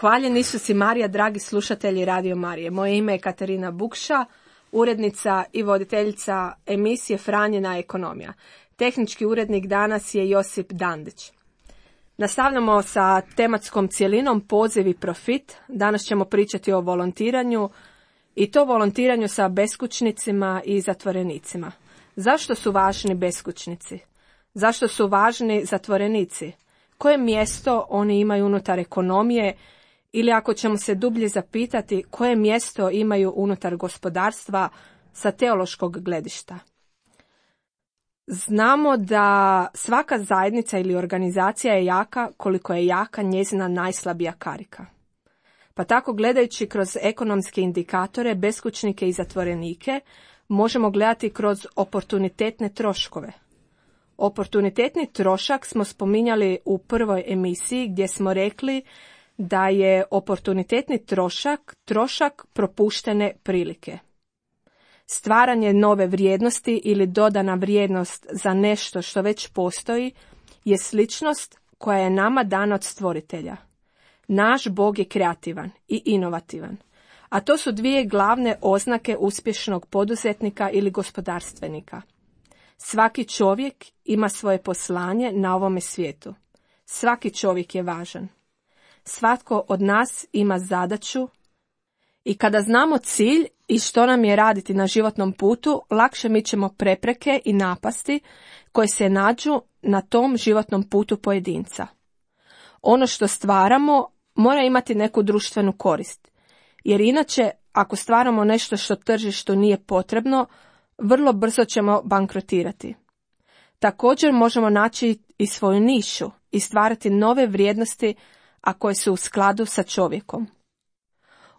Hvaljen Isus i Marija, dragi slušatelji Radio Marije. Moje ime je Katarina Bukša, urednica i voditeljica emisije Franjina ekonomija. Tehnički urednik danas je Josip Dandić. Nastavljamo sa tematskom cjelinom Poziv i profit. Danas ćemo pričati o volontiranju i to volontiranju sa beskućnicima i zatvorenicima. Zašto su važni beskućnici? Zašto su važni zatvorenici? Koje mjesto oni imaju unutar ekonomije? Ili ako ćemo se dublje zapitati, koje mjesto imaju unutar gospodarstva sa teološkog gledišta? Znamo da svaka zajednica ili organizacija je jaka koliko je jaka njezina najslabija karika. Pa tako gledajući kroz ekonomske indikatore, beskućnike i zatvorenike, možemo gledati kroz oportunitetne troškove. Oportunitetni trošak smo spominjali u prvoj emisiji gdje smo rekli da je oportunitetni trošak propuštene prilike. Stvaranje nove vrijednosti ili dodana vrijednost za nešto što već postoji je sličnost koja je nama dana od stvoritelja. Naš Bog je kreativan i inovativan, a to su dvije glavne oznake uspješnog poduzetnika ili gospodarstvenika. Svaki čovjek ima svoje poslanje na ovome svijetu. Svaki čovjek je važan. Svatko od nas ima zadaću i kada znamo cilj i što nam je raditi na životnom putu, lakše mičemo prepreke i napasti koje se nađu na tom životnom putu pojedinca. Ono što stvaramo mora imati neku društvenu korist, jer inače ako stvaramo nešto što tržištu nije potrebno, vrlo brzo ćemo bankrotirati. Također možemo naći i svoju nišu i stvarati nove vrijednosti, a koje su u skladu sa čovjekom.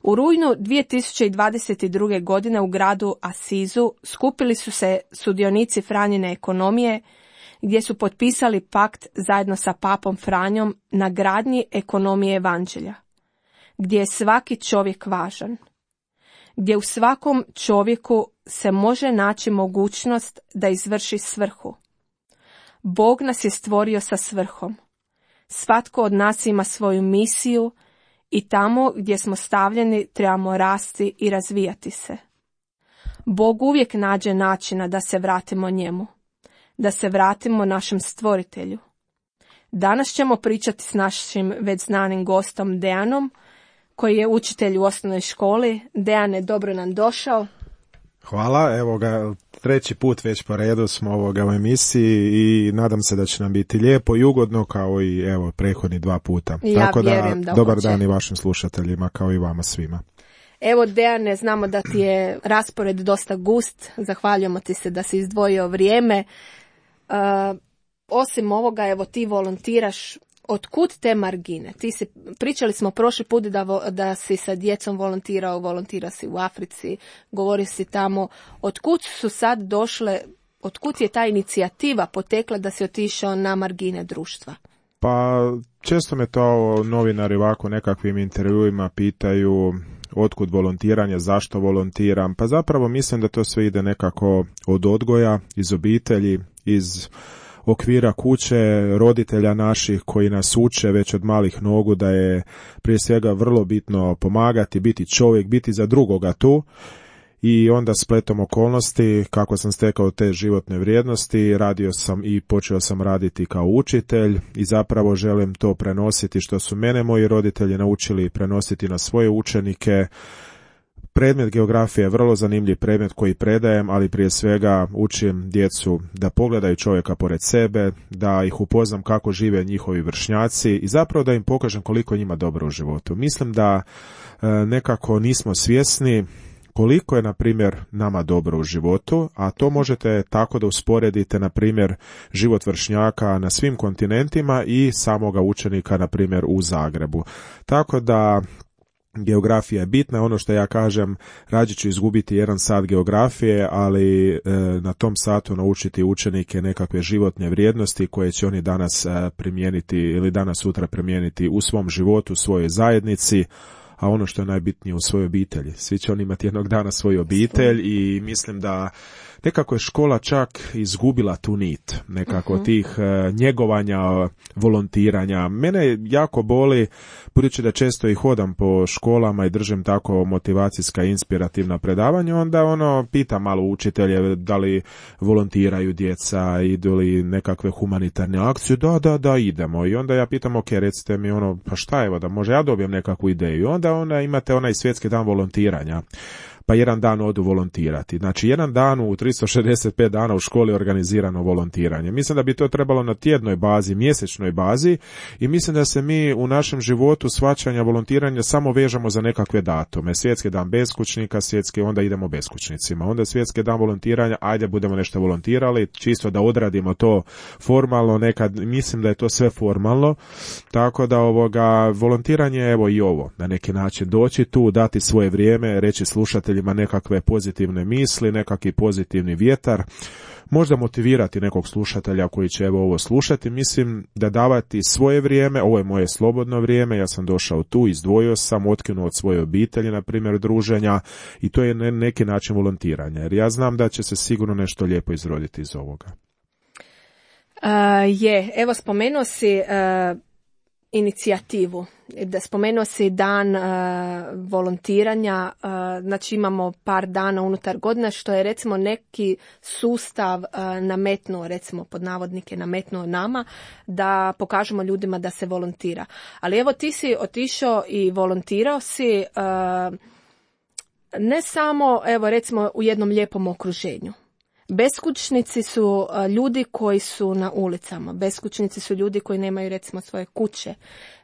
U rujnu 2022. godine u gradu Asizu skupili su se sudionici Franjine ekonomije, gdje su potpisali pakt zajedno sa papom Franjom na gradnji ekonomije evanđelja, gdje je svaki čovjek važan, gdje u svakom čovjeku se može naći mogućnost da izvrši svrhu. Bog nas je stvorio sa svrhom. Svatko od nas ima svoju misiju i tamo gdje smo stavljeni trebamo rasti i razvijati se. Bog uvijek nađe načina da se vratimo njemu, da se vratimo našem stvoritelju. Danas ćemo pričati s našim već znanim gostom Dejanom, koji je učitelj u osnovnoj školi. Dejane, dobro nam došao. Hvala, evo ga, treći put već po redu smo u emisiji i nadam se da će nam biti lijepo i ugodno kao i evo prethodni 2 puta. Ja tako vjerujem da hoće. Dobar dan i vašim slušateljima kao i vama svima. Evo Dejane, znamo da ti je raspored dosta gust, zahvaljujemo ti se da si izdvojio vrijeme. Osim ovoga, evo ti volontiraš. Otkud te margine? Pričali smo prošli put da si sa djecom volontirao si u Africi, govori si tamo. Otkud su sad došle, otkud je ta inicijativa potekla da si otišao na margine društva? Pa često me to novinari ovako nekakvim intervjuima pitaju otkud volontiranje, zašto volontiram. Pa zapravo mislim da to sve ide nekako od odgoja, iz obitelji, iz okvira kuće, roditelja naših koji nas uče već od malih nogu da je prije svega vrlo bitno pomagati, biti čovjek, biti za drugoga tu. I onda spletom okolnosti, kako sam stekao te životne vrijednosti, radio sam i počeo sam raditi kao učitelj i zapravo želim to prenositi što su mene moji roditelji naučili prenositi na svoje učenike. Predmet geografije je vrlo zanimljiv predmet koji predajem, ali prije svega učim djecu da pogledaju čovjeka pored sebe, da ih upoznam kako žive njihovi vršnjaci i zapravo da im pokažem koliko njima dobro u životu. Mislim da nekako nismo svjesni koliko je, na primjer, nama dobro u životu, a to možete tako da usporedite, na primjer, život vršnjaka na svim kontinentima i samoga učenika, na primjer, u Zagrebu. Tako da geografija je bitna, ono što ja kažem, rađe ću izgubiti 1 sat geografije, ali na tom satu naučiti učenike nekakve životne vrijednosti koje će oni danas primijeniti ili danas sutra primijeniti u svom životu, u svojoj zajednici, a ono što je najbitnije u svojoj obitelji. Svi će oni imati jednog dana svoju obitelj i mislim da nekako je škola čak izgubila tu nit nekako tih njegovanja, volontiranja. Mene jako boli, budući da često i hodam po školama i držim tako motivacijska, inspirativna predavanja, onda pitam malo učitelje da li volontiraju djeca, idu li nekakve humanitarne akcije, da, idemo. I onda ja pitam, ok, recite mi pa šta evo, da može ja dobijem nekakvu ideju. Onda imate onaj svjetski dan volontiranja. Pa 1 dan odu volontirati. Znači 1 dan u 365 dana u školi je organizirano volontiranje. Mislim da bi to trebalo na tjednoj bazi, mjesečnoj bazi i mislim da se mi u našem životu shvaćanja volontiranja samo vežemo za nekakve datume. Svjetski dan beskućnika, onda idemo beskućnicima. Onda svjetski dan volontiranja, ajde budemo nešto volontirali, čisto da odradimo to formalno, nekad mislim da je to sve formalno. Tako da volontiranje evo i ovo, na neki način doći tu, dati svoje vrijeme, reći slušateljima nekakve pozitivne misli, nekakvi pozitivni vjetar, možda motivirati nekog slušatelja koji će ovo slušati. Mislim da davati svoje vrijeme, ovo je moje slobodno vrijeme, ja sam došao tu, izdvojio sam, otkinuo od svoje obitelji, na primjer druženja, i to je neki način volontiranja, jer ja znam da će se sigurno nešto lijepo izroditi iz ovoga. Evo spomenuo si inicijativu. Da spomenuo si dan volontiranja, znači imamo par dana unutar godine, što je recimo neki sustav nametnuo, recimo pod navodnike nametnuo nama, da pokažemo ljudima da se volontira. Ali evo ti si otišao i volontirao si ne samo, evo recimo u jednom lijepom okruženju. Beskućnici su ljudi koji su na ulicama, beskućnici su ljudi koji nemaju recimo svoje kuće,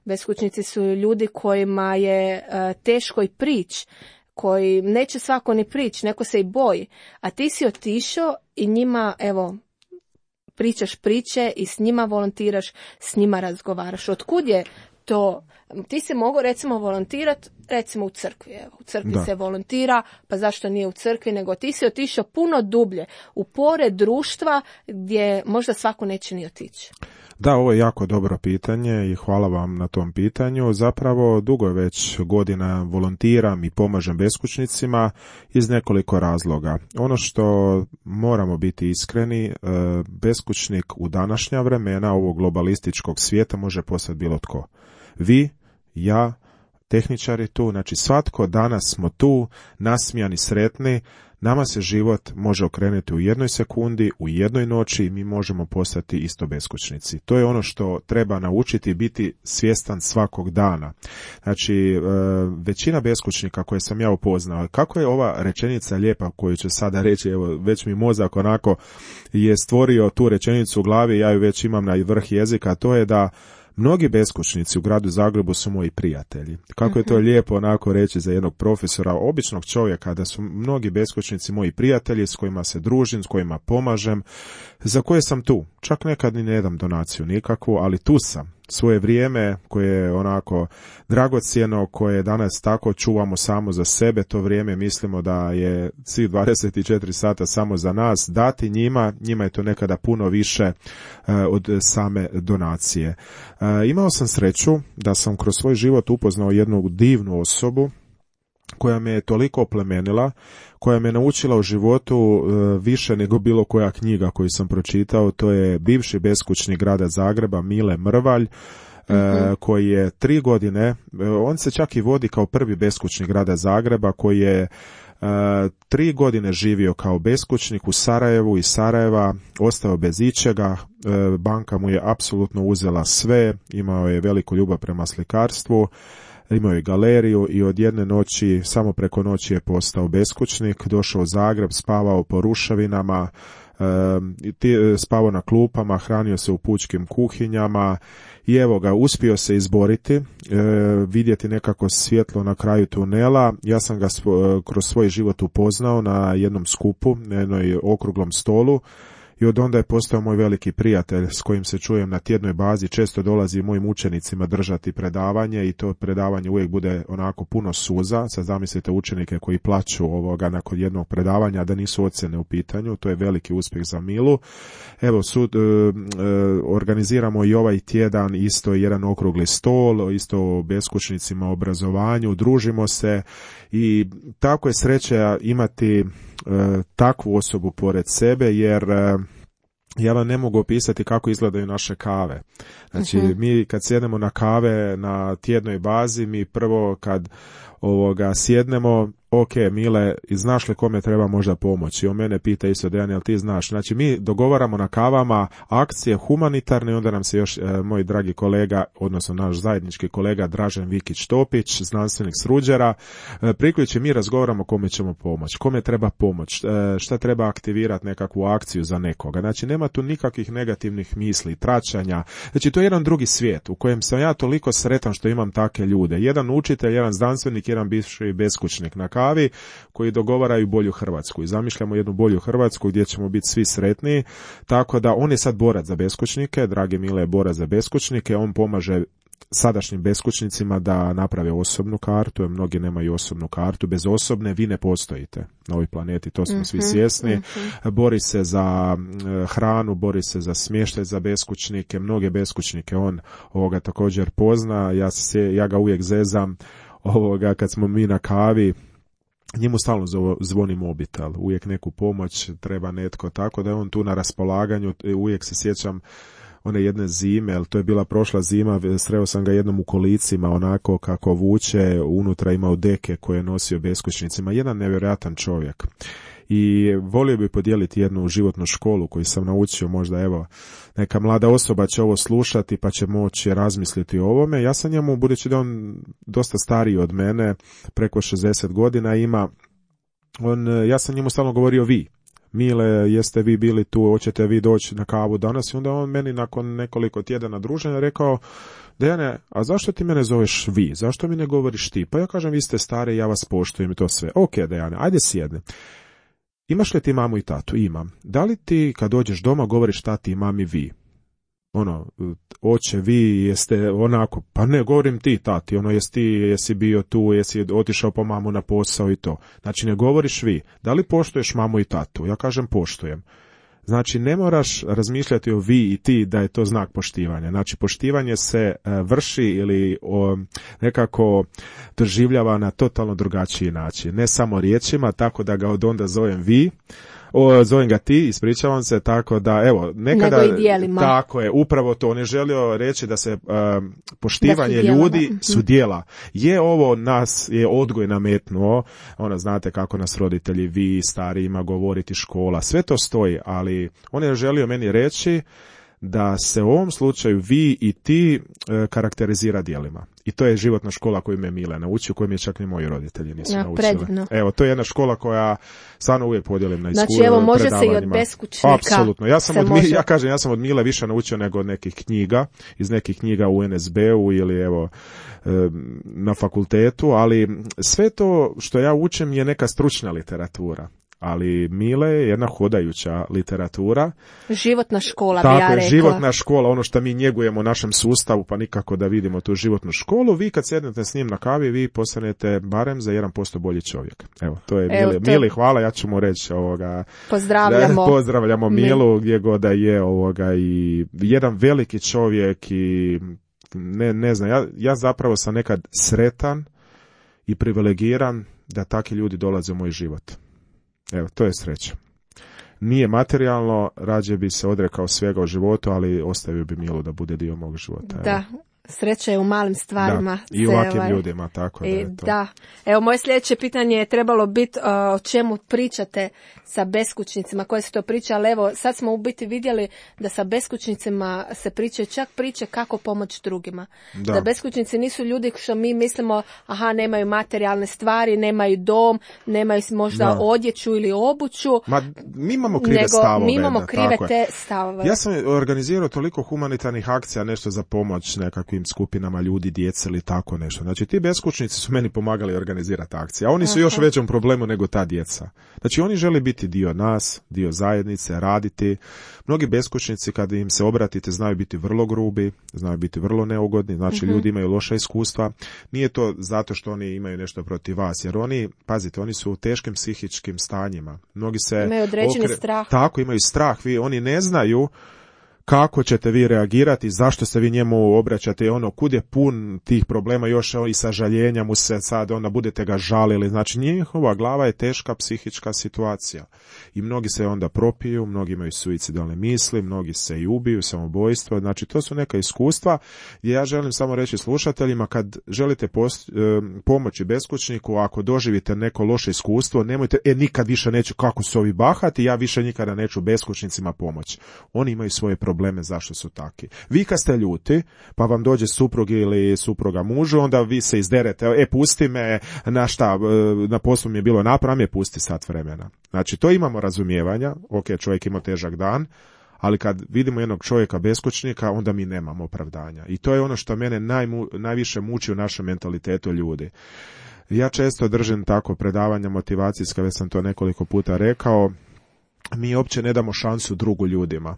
beskućnici su ljudi kojima je teško i prići, koji neće svako ni prići, neko se i boji, a ti si otišao i njima evo pričaš priče i s njima volontiraš, s njima razgovaraš. Otkud je to? Ti si mogao recimo volontirati recimo u crkvi. Evo, u crkvi se volontira, pa zašto nije u crkvi, nego ti si otišao puno dublje, u pore društva gdje možda svako neće ni otići. Da, ovo je jako dobro pitanje i hvala vam na tom pitanju. Zapravo dugo je već godina volontiram i pomažem beskućnicima iz nekoliko razloga. Ono što moramo biti iskreni, beskućnik u današnja vremena ovog globalističkog svijeta može postati bilo tko. Vi, ja, tehničari tu, znači svatko danas smo tu, nasmijani, sretni, nama se život može okrenuti u 1 sekundi, u 1 noći i mi možemo postati isto beskućnici. To je ono što treba naučiti, biti svjestan svakog dana. Znači, većina beskućnika koje sam ja upoznao, kako je ova rečenica lijepa koju ću sada reći, evo, već mi mozak onako je stvorio tu rečenicu u glavi, ja ju već imam na vrh jezika, to je da mnogi beskućnici u gradu Zagrebu su moji prijatelji. Kako je to lijepo onako reći za jednog profesora, običnog čovjeka, da su mnogi beskućnici moji prijatelji s kojima se družim, s kojima pomažem, za koje sam tu. Čak nekad ni ne dam donaciju nikakvu, ali tu sam. Svoje vrijeme koje je onako dragocjeno, koje danas tako čuvamo samo za sebe, to vrijeme mislimo da je svih 24 sata samo za nas, dati njima je to nekada puno više od same donacije. Imao sam sreću da sam kroz svoj život upoznao jednu divnu osobu koja me je toliko oplemenila, koja me naučila u životu više nego bilo koja knjiga koju sam pročitao. To je bivši beskućnik grada Zagreba, Mile Mrvalj, koji je 3 godine, on se čak i vodi kao prvi beskućnik grada Zagreba, koji je 3 godine živio kao beskućnik u Sarajevu, iz Sarajeva ostao bez ičega, banka mu je apsolutno uzela sve, imao je veliku ljubav prema slikarstvu, imao je galeriju i od jedne noći, samo preko noći je postao beskućnik, došao u Zagreb, spavao po ruševinama, spavao na klupama, hranio se u pučkim kuhinjama i evo ga, uspio se izboriti, vidjeti nekako svjetlo na kraju tunela. Ja sam ga kroz svoj život upoznao na jednom skupu, na jednoj okruglom stolu i od onda je postao moj veliki prijatelj s kojim se čujem na tjednoj bazi, često dolazi mojim učenicima držati predavanje i to predavanje uvijek bude onako puno suza. Sad zamislite učenike koji plaću nakon jednog predavanja da nisu ocjene u pitanju, to je veliki uspjeh za Milu. Evo, organiziramo i ovaj tjedan isto jedan okrugli stol, isto o beskućnicima, obrazovanju, družimo se i tako je sreća imati takvu osobu pored sebe, jer ja vam ne mogu opisati kako izgledaju naše kave. Znači, mi kad sjednemo na kave na tjednoj bazi, mi prvo kad sjednemo, ok, Mile, znaš li kome treba možda pomoći? On mene pita isto, Dejan, jel ti znaš? Znači, mi dogovaramo na kavama akcije humanitarne i onda nam se još moj dragi kolega, odnosno naš zajednički kolega Dražen Vikić-Topić, znanstvenik s Ruđera, priključi, mi razgovaramo kome ćemo pomoći, kome treba pomoć, šta treba aktivirati nekakvu akciju za nekoga. Znači, nema tu nikakvih negativnih misli, tračanja. Znači, to je jedan drugi svijet u kojem sam ja toliko sretan što imam takve ljude. Jedan učitelj, jedan znanstvenik, jedan bivši beskućnik na kavi koji dogovaraju bolju Hrvatsku i zamišljamo jednu bolju Hrvatsku gdje ćemo biti svi sretniji, tako da on je sad borac za beskućnike, dragi Mile je borac za beskućnike, on pomaže sadašnjim beskućnicima da naprave osobnu kartu, jer mnogi nemaju osobnu kartu, bez osobne vi ne postojite na ovoj planeti, to smo svi svjesni. Bori se za hranu, bori se za smještaj za beskućnike, mnoge beskućnike on također pozna, ja ga uvijek zezam kad smo mi na kavi, njemu stalno zvoni mobitel, uvijek neku pomoć treba netko, tako da je on tu na raspolaganju. Uvijek se sjećam one jedne zime, ali to je bila prošla zima, sreo sam ga jednom u kolicima, onako kako vuče, unutra imao deke koje je nosio beskućnicima, jedan nevjerojatan čovjek. I volio bi podijeliti jednu životnu školu koju sam naučio, možda evo neka mlada osoba će ovo slušati pa će moći razmisliti o ovome. Ja sam njemu, budući da on dosta stariji od mene, preko 60 godina ima, ja sam njemu stalno govorio vi. Mile, jeste vi bili tu, hoćete vi doći na kavu danas? I onda on meni nakon nekoliko tjedana druženja rekao, Dejane, a zašto ti mene zoveš vi? Zašto mi ne govoriš ti? Pa ja kažem, vi ste stari, ja vas poštujem i to sve. Ok, Dejane, ajde sjedni. Imaš li ti mamu i tatu? Imam. Da li ti kad dođeš doma govoriš tati i mami vi? Oče, vi jeste onako, pa ne, govorim ti tati, jesi bio tu, jesi otišao po mamu na posao i to. Znači ne govoriš vi. Da li poštuješ mamu i tatu? Ja kažem poštujem. Znači ne moraš razmišljati o vi i ti da je to znak poštivanja. Znači poštivanje se vrši ili nekako doživljava na totalno drugačiji način. Ne samo riječima, tako da ga od onda zovem vi. Zovem ga ti, ispričavam se, tako da, evo, nekada... Nego i dijelima. Tako je, upravo to. On je želio reći da se poštivanje ljudi su djela. Je ovo nas, je odgoj nametnuo, znate kako nas roditelji, vi, starijima, govoriti škola, sve to stoji, ali on je želio meni reći da se u ovom slučaju vi i ti karakterizira djelima. I to je životna škola koju me Mile naučio, koju mi je čak ni moji roditelji nisu naučili. Predivno. Evo, to je jedna škola koja stvarno uvijek podijelim na iskustvo. Znači, evo, može se i od beskućnika. Apsolutno. Ja sam od Mile više naučio nego od nekih knjiga, iz nekih knjiga u NSB-u ili evo na fakultetu, ali sve to što ja učim je neka stručna literatura. Ali Mile je jedna hodajuća literatura. Životna škola, bi ja rekla. Tako je, životna škola, ono što mi njegujemo u našem sustavu, pa nikako da vidimo tu životnu školu. Vi kad sjednete s njim na kavi, vi postanete barem za 1% bolji čovjek. Evo, to je Mili. Mili, hvala, ja ću mu reći pozdravljamo Milu gdje god da je i jedan veliki čovjek i ne znam, ja zapravo sam nekad sretan i privilegiran da takvi ljudi dolaze u moj život. Evo, to je sreća. Nije materijalno, rađe bi se odrekao svega u životu, ali ostavio bi Milu da bude dio mog života. Evo. Da, sreća je u malim stvarima. Da, i u ovakvim ljudima, tako da je to. Da. Evo, moje sljedeće pitanje je trebalo biti o čemu pričate sa beskućnicima, koje se to priča, ali evo, sad smo u biti vidjeli da sa beskućnicima se pričaju čak priče kako pomoći drugima. Da beskućnici nisu ljudi što mi mislimo, nemaju materijalne stvari, nemaju dom, nemaju možda odjeću ili obuću. Mi imamo krive stavove. Mi imamo krive te stavove. Ja sam organizirao toliko humanitarnih akcija, nešto za pomoć nekakvim ranjivim skupinama ljudi, djece ili tako nešto. Znači ti beskućnici su meni pomagali organizirati akcije, a oni su još u većem problemu nego ta djeca. Znači oni žele biti dio nas, dio zajednice, raditi. Mnogi beskućnici kad im se obratite znaju biti vrlo grubi, znaju biti vrlo neugodni, znači ljudi imaju loša iskustva. Nije to zato što oni imaju nešto protiv vas, jer oni, pazite, oni su u teškim psihičkim stanjima. Mnogi se imaju određeni strah. Tako, imaju strah. Oni ne znaju kako ćete vi reagirati, zašto se vi njemu obraćate, kud je pun tih problema, još i sažaljenja mu se sad, onda budete ga žalili, znači njihova glava je teška psihička situacija i mnogi se onda propiju, mnogi imaju suicidalne misli, mnogi se i ubiju, samobojstvo, znači to su neka iskustva gdje ja želim samo reći slušateljima, kad želite pomoći beskućniku, ako doživite neko loše iskustvo, nemojte, nikad više neću, kako su ovi bahati, ja više nikada neću beskućnicima pomoći. Oni imaju svoje probleme zašto su taki. Vi kad ste ljuti, pa vam dođe suprug ili supruga mužu, onda vi se izderete, pusti me, na poslu mi je bilo napravljeno, pusti sat vremena. Znači, to imamo razumijevanja, čovjek ima težak dan, ali kad vidimo jednog čovjeka beskućnika, onda mi nemamo opravdanja. I to je ono što mene najviše muči u našem mentalitetu ljudi. Ja često držim tako predavanja motivacijska, već sam to nekoliko puta rekao, mi uopće ne damo šansu drugu ljudima.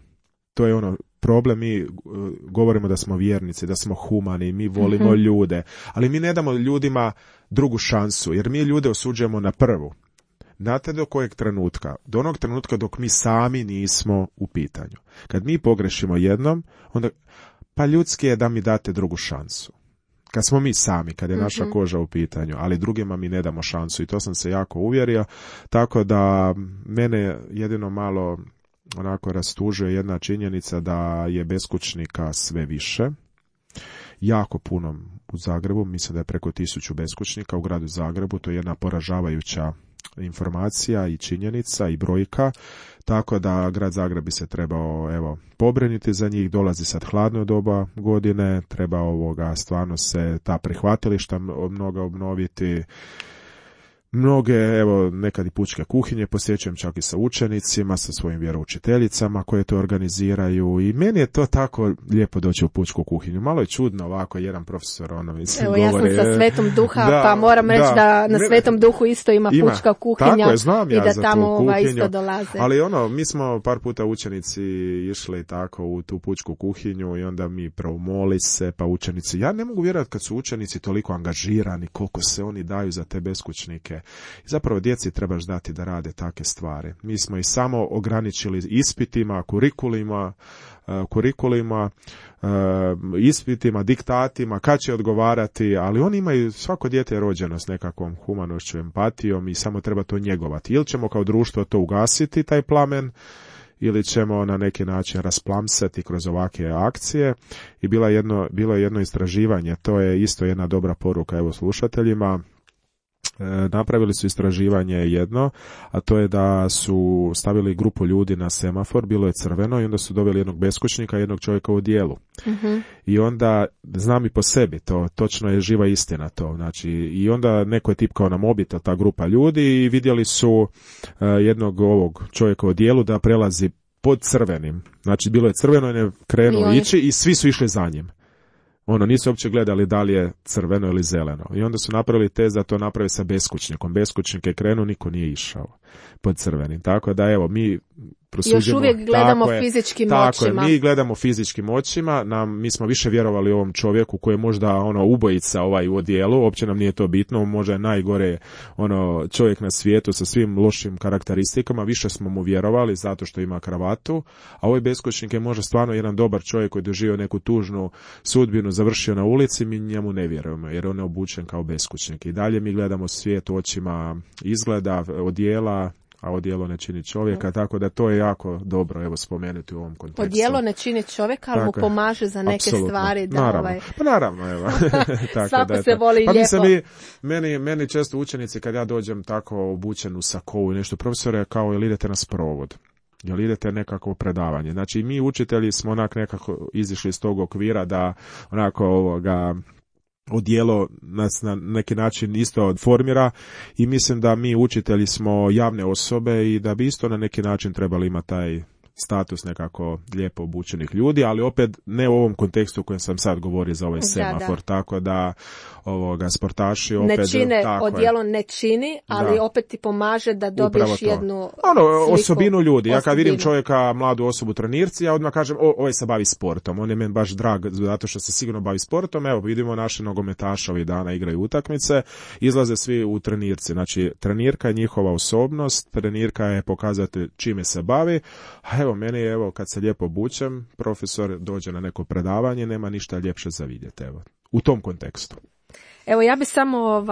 To je problem, mi govorimo da smo vjernici, da smo humani, mi volimo ljude, ali mi ne damo ljudima drugu šansu, jer mi ljude osuđujemo na prvu. Znate do kojeg trenutka? Do onog trenutka dok mi sami nismo u pitanju. Kad mi pogrešimo jednom, onda pa ljudski je da mi date drugu šansu. Kad smo mi sami, kad je naša koža u pitanju, ali drugima mi ne damo šansu i to sam se jako uvjerio, tako da mene jedino malo onako rastužuje jedna činjenica da je beskućnika sve više. Jako puno u Zagrebu, mislim da je preko 1000 beskućnika u gradu Zagrebu, to je jedna poražavajuća informacija i činjenica i brojka, tako da grad Zagreb bi se trebao pobriniti za njih, dolazi sad hladno doba godine, treba stvarno se ta prihvatilišta mnoga obnoviti. Mnoge, nekad i pučke kuhinje posjećujem čak i sa učenicima, sa svojim vjeroučiteljicama koje to organiziraju i meni je to tako lijepo doći u pučku kuhinju. Malo je čudno ovako, jedan profesor govori. Ja sam sa Svetom Duha, pa moram reći da na Svetom Duhu isto ima pučka kuhinja, tako je, znam ja, i da za tamo isto dolaze. Ali mi smo par puta učenici išli tako u tu pučku kuhinju i onda mi moli se, pa učenici, ja ne mogu vjerovati kad su učenici toliko angažirani, koliko se oni daju za te beskućnike. I zapravo djeci trebaš dati da rade takve stvari. Mi smo ih samo ograničili ispitima, kurikulima, ispitima, diktatima, kad će odgovarati, ali oni imaju, svako dijete je rođeno s nekakvom humanošću, empatijom i samo treba to njegovati. Ili ćemo kao društvo to ugasiti, taj plamen, ili ćemo na neki način rasplamsati kroz ovakve akcije. I bilo je jedno istraživanje, to je isto jedna dobra poruka slušateljima. Napravili su istraživanje jedno, a to je da su stavili grupu ljudi na semafor, bilo je crveno i onda su doveli jednog beskućnika i jednog čovjeka u odijelu. I onda, znam i po sebi, to točno je živa istina to, znači, i onda neko je tipkao na mobitel, ta grupa ljudi, i vidjeli su jednog ovog čovjeka u odijelu da prelazi pod crvenim, znači bilo je crveno i ne krenuo ići i svi su išli za njim. Nisu uopće gledali da li je crveno ili zeleno. I onda su napravili test da to napravi sa beskućnikom. Beskućnik je krenuo, niko nije išao pod crvenim. Tako da mi prosuđujemo. Još uvijek gledamo fizičkim očima. Tako je, mi gledamo fizičkim očima. Mi smo više vjerovali ovom čovjeku koji je možda ubojica u odijelu. Uopće nam nije to bitno. Možda je najgore čovjek na svijetu sa svim lošim karakteristikama. Više smo mu vjerovali zato što ima kravatu. A ovaj beskućnik je možda stvarno jedan dobar čovjek koji je doživio neku tužnu sudbinu, završio na ulici. Mi njemu ne vjerujemo jer on je obučen kao beskućnik. I dalje mi gledamo svijet očima izgleda, odijela, a odijelo ne čini čovjeka, tako da to je jako dobro spomenuti u ovom kontekstu. Odijelo ne čini čovjeka, ali mu pomaže za neke stvari. Da, naravno, pa naravno, tako svako da se voli lijepo. Meni često učenici kad ja dođem tako obučen u sakovu i nešto, profesore, kao jel idete na sprovod? Jel idete nekako predavanje? Znači mi učitelji smo nekako izišli iz tog okvira da odijelo nas na neki način isto formira i mislim da mi učitelji smo javne osobe i da bi isto na neki način trebali imati taj status nekako lijepo obučenih ljudi, ali opet ne u ovom kontekstu u kojem sam sad govorio za ovaj semafor, tako da sportaši opet... Ne čine, odjelo ne čini, ali opet ti pomaže da dobiješ jednu osobinu ljudi. Ja kad vidim čovjeka, mladu osobu u trenirci, ja odmah kažem, ovaj se bavi sportom, on je meni baš drag, zato što se sigurno bavi sportom. Evo, vidimo naše nogometaše ovih dana igraju utakmice, izlaze svi u trenirci. Znači, trenirka je njihova osobnost, trenirka je pokazati čime se bavi, a evo, meni je, kad se lijepo obučem, profesor dođe na neko predavanje, nema ništa ljepše za vidjeti, evo, u tom kontekstu. Evo, ja bi samo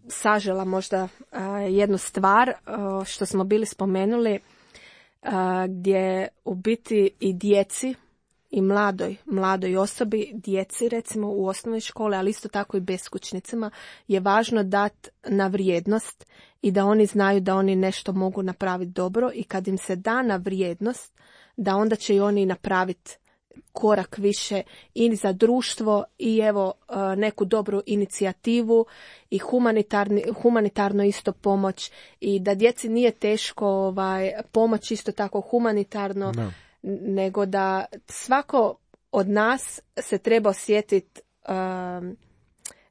sažela možda jednu stvar što smo bili spomenuli, gdje u biti i djeci i mladoj osobi, djeci recimo u osnovnoj školi, ali isto tako i beskućnicima, je važno dati na vrijednost i da oni znaju da oni nešto mogu napraviti dobro i kad im se da na vrijednost, da onda će i oni napraviti korak više i za društvo i evo neku dobru inicijativu i humanitarno isto pomoć i da djeci nije teško pomoć isto tako humanitarno, nego da svako od nas se treba osjetiti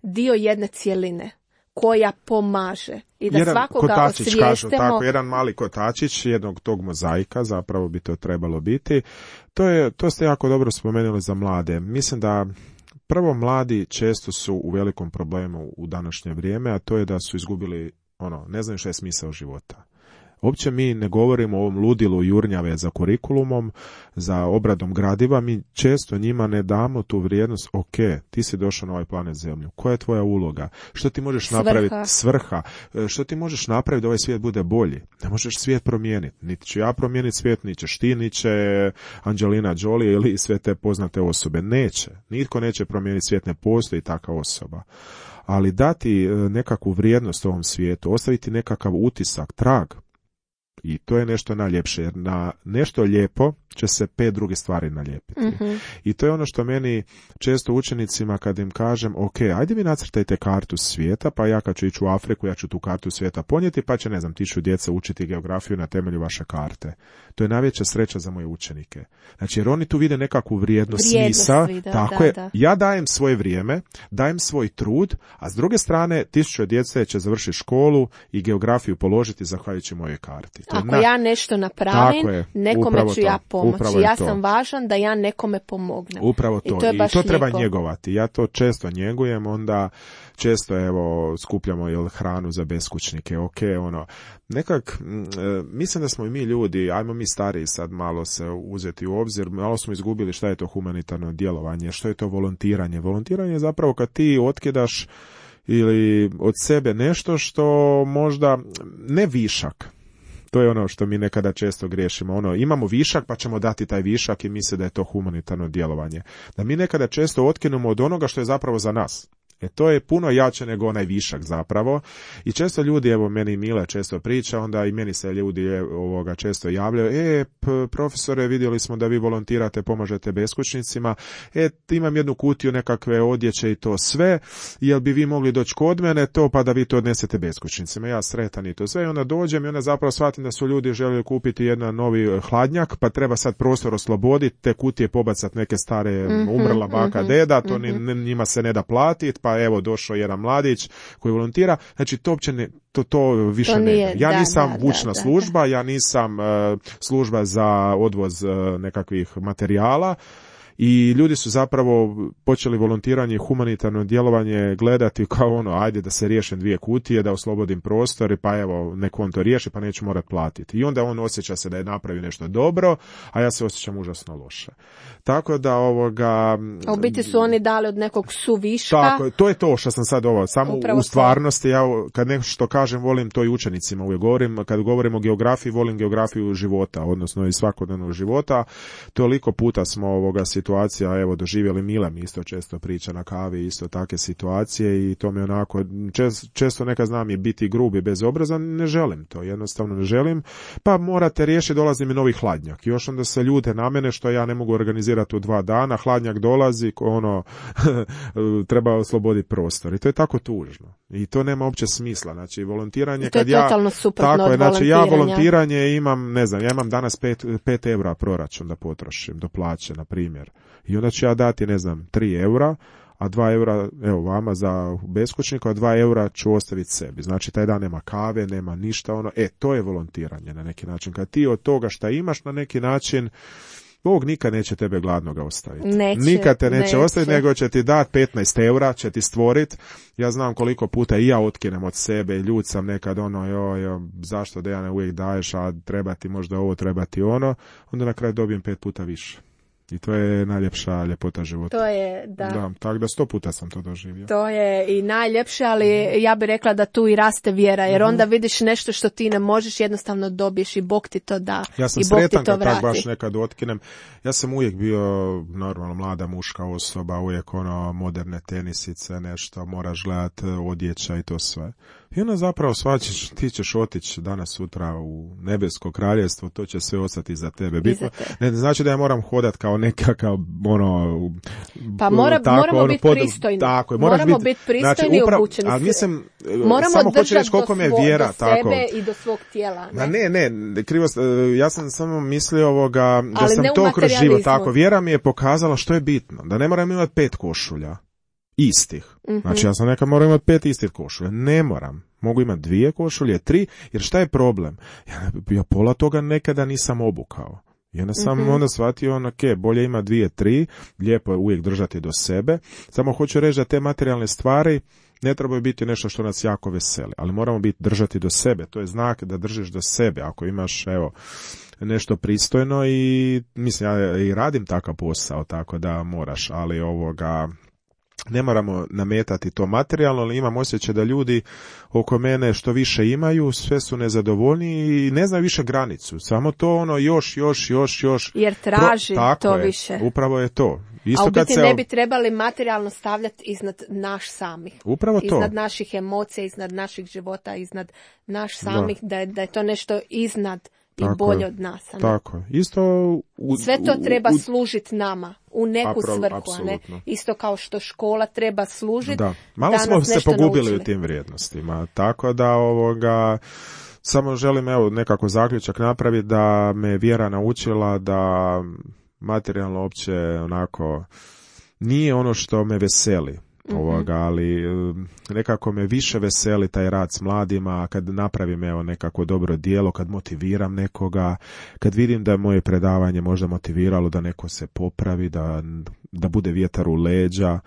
dio jedne cjeline koja pomaže i da svakoga osvijestimo. Kažu tako, jedan mali kotačić jednog tog mozaika, zapravo bi to trebalo biti. To ste jako dobro spomenuli za mlade. Mislim da prvo mladi često su u velikom problemu u današnje vrijeme, a to je da su izgubili, ne znaju što je smisao života. Uopće mi ne govorimo o ovom ludilu jurnjave za kurikulumom, za obradom gradiva, mi često njima ne damo tu vrijednost, ok, ti si došao na ovaj planet Zemlju, koja je tvoja uloga, što ti možeš napraviti, svrha, što ti možeš napraviti da ovaj svijet bude bolji, ne možeš svijet promijeniti, niti ću ja promijeniti svijet, niti ćeš ti, niti će Angelina Jolie ili sve te poznate osobe, neće, nitko neće promijeniti svijet, ne postoji takva osoba. Ali dati nekakvu vrijednost ovom svijetu, ostaviti nekakav utisak, trag, i to je nešto najljepše, jer na nešto lijepo će se 5 druge stvari nalijepiti. Mm-hmm. I to je ono što meni često učenicima kad im kažem, ok, ajde vi nacrtajte kartu svijeta, pa ja kad ću ići u Afriku, ja ću tu kartu svijeta ponijeti, pa će, 1000 djece učiti geografiju na temelju vaše karte. To je najveća sreća za moje učenike. Znači, jer oni tu vide nekakvu vrijednost smisa. Tako je, ja dajem svoje vrijeme, dajem svoj trud, a s druge strane 1000 djece će završiti školu i geografiju položiti zahvaljujući mojoj karti. Ako ja nešto napravim, nekome ću ja pomoći. Ja sam važan da ja nekome pomognem. Upravo to. I to treba njegovati. Ja to često njegujem, onda često skupljamo hranu za beskućnike. Ok, mislim da smo i mi ljudi, ajmo mi stariji sad malo se uzeti u obzir, malo smo izgubili šta je to humanitarno djelovanje, što je to volontiranje. Volontiranje je zapravo kad ti otkidaš ili od sebe nešto što možda ne višak. To je ono što mi nekada često griješimo. Imamo višak pa ćemo dati taj višak i misle da je to humanitarno djelovanje. Da mi nekada često otkinemo od onoga što je zapravo za nas. To je puno jače nego onaj višak zapravo. I često ljudi, meni Mile često priča, onda i meni se ljudi često javljaju, profesore, vidjeli smo da vi volontirate, pomažete beskućnicima, imam jednu kutiju nekakve odjeće i to sve, jel bi vi mogli doći kod mene to, pa da vi to odnesete beskućnicima. Ja sretan i to sve, i onda dođem i onda zapravo shvatim da su ljudi željeli kupiti jedan novi hladnjak, pa treba sad prostor osloboditi, te kutije pobacati neke stare umrla baka, deda, to njima se ne da platiti, pa evo došao jedan mladić koji volontira, znači to uopće to više ne. Ja nisam vučna služba, ja nisam služba za odvoz nekakvih materijala. I ljudi su zapravo počeli volontiranje i humanitarno djelovanje gledati kao ajde da se riješim 2 kutije, da oslobodim prostor, pa evo, nek on to riješi, pa neću morat platiti. I onda on osjeća se da je napravio nešto dobro, a ja se osjećam užasno loše. Tako da A u biti su oni dali od nekog suviška. Tako, to je to što sam sad samo upravo u stvarnosti, ja kad nešto kažem, volim to i učenicima uvijek govorim, kad govorim o geografiji, volim geografiju života, odnosno i svakodnevnog života. Toliko puta smo situacija, evo, doživjeli Mila mi isto često priča na kavi, isto takve situacije i to mi onako, često neka znam je biti grubi bez obraza, ne želim to, jednostavno ne želim, pa morate riješiti, dolazi mi novi hladnjak. Još onda se ljute na mene što ja ne mogu organizirati u 2 dana, hladnjak dolazi, treba osloboditi prostor i to je tako tužno. I to nema uopće smisla, znači volontiranje, to je totalno suprotno od znači ja volontiranje imam, ne znam, ja imam danas 5 eura proračun da potrošim do plaće, na primjer. I onda ću ja dati, ne znam, 3 eura, a 2 eura, evo vama za beskućnika, a 2 eura ću ostaviti sebi. Znači taj dan nema kave, nema ništa, to je volontiranje na neki način. Kad ti od toga šta imaš na neki način, Bog nikad neće tebe gladnoga ostaviti. Nikad te neće ostaviti, nego će ti dati 15 eura, će ti stvoriti. Ja znam koliko puta i ja otkinem od sebe, ljud sam nekad zašto Dejane uvijek daješ, a treba ti možda ovo, treba ti ono, onda na kraju dobijem 5 puta više. I to je najljepša ljepota života. To je, da. Tako da 100 puta sam to doživio. To je i najljepše, ali ja bih rekla da tu i raste vjera, jer onda vidiš nešto što ti ne možeš, jednostavno dobiješ i Bog ti to da. Ja sam sretan kad tak baš nekad otkinem. Ja sam uvijek bio normalno mlada muška osoba, uvijek moderne tenisice, nešto, moraš gledati odjeća i to sve. I onda zapravo shvaćaš, ti ćeš otići danas sutra u nebesko kraljevstvo, to će sve ostati za tebe. Bitno, ne znači da ja moram hodati kao nekakav, pa moramo biti pristojni. Tako je, moramo biti pristojni i obučeni. Ali mislim, moramo samo hoću reći koliko me vjera. Do sebe i do svog tijela. Ne, krivo, ja sam samo mislio da sam to kroz život. Tako, vjera mi je pokazala što je bitno. Da ne moram imati 5 košulja. Istih. Znači ja sam nekad moram imati 5 istih košulja. Ne moram. Mogu imati 2 košulje, 3, jer šta je problem? Ja pola toga nekada nisam obukao. I onda sam onda shvatio, bolje ima 2, 3, lijepo je uvijek držati do sebe. Samo hoću reći da te materijalne stvari ne trebaju biti nešto što nas jako veseli, ali moramo držati do sebe. To je znak da držiš do sebe. Ako imaš, nešto pristojno i mislim, ja i radim takav posao, tako da moraš, ali ne moramo nametati to materijalno, ali imam osjećaj da ljudi oko mene što više imaju, sve su nezadovoljni i ne znaju više granicu. Samo to još. Jer traži to više. Upravo je to. Isto a u biti ne bi trebali materijalno stavljati iznad naš samih. Upravo to. Iznad naših emocija, iznad naših života, iznad naš samih, da je to nešto iznad i bolje od nas. Tako je. Isto sve to treba služiti nama u neku svrhu, a ne isto kao što škola treba služiti. Da. Malo smo se pogubili u tim vrijednostima. Tako da samo želim nekako zaključak napraviti da me vjera naučila da materijalno uopće nije ono što me veseli. Ali nekako me više veseli taj rad s mladima, kad napravim nekako dobro djelo, kad motiviram nekoga, kad vidim da je moje predavanje možda motiviralo da neko se popravi, da bude vjetar u leđa.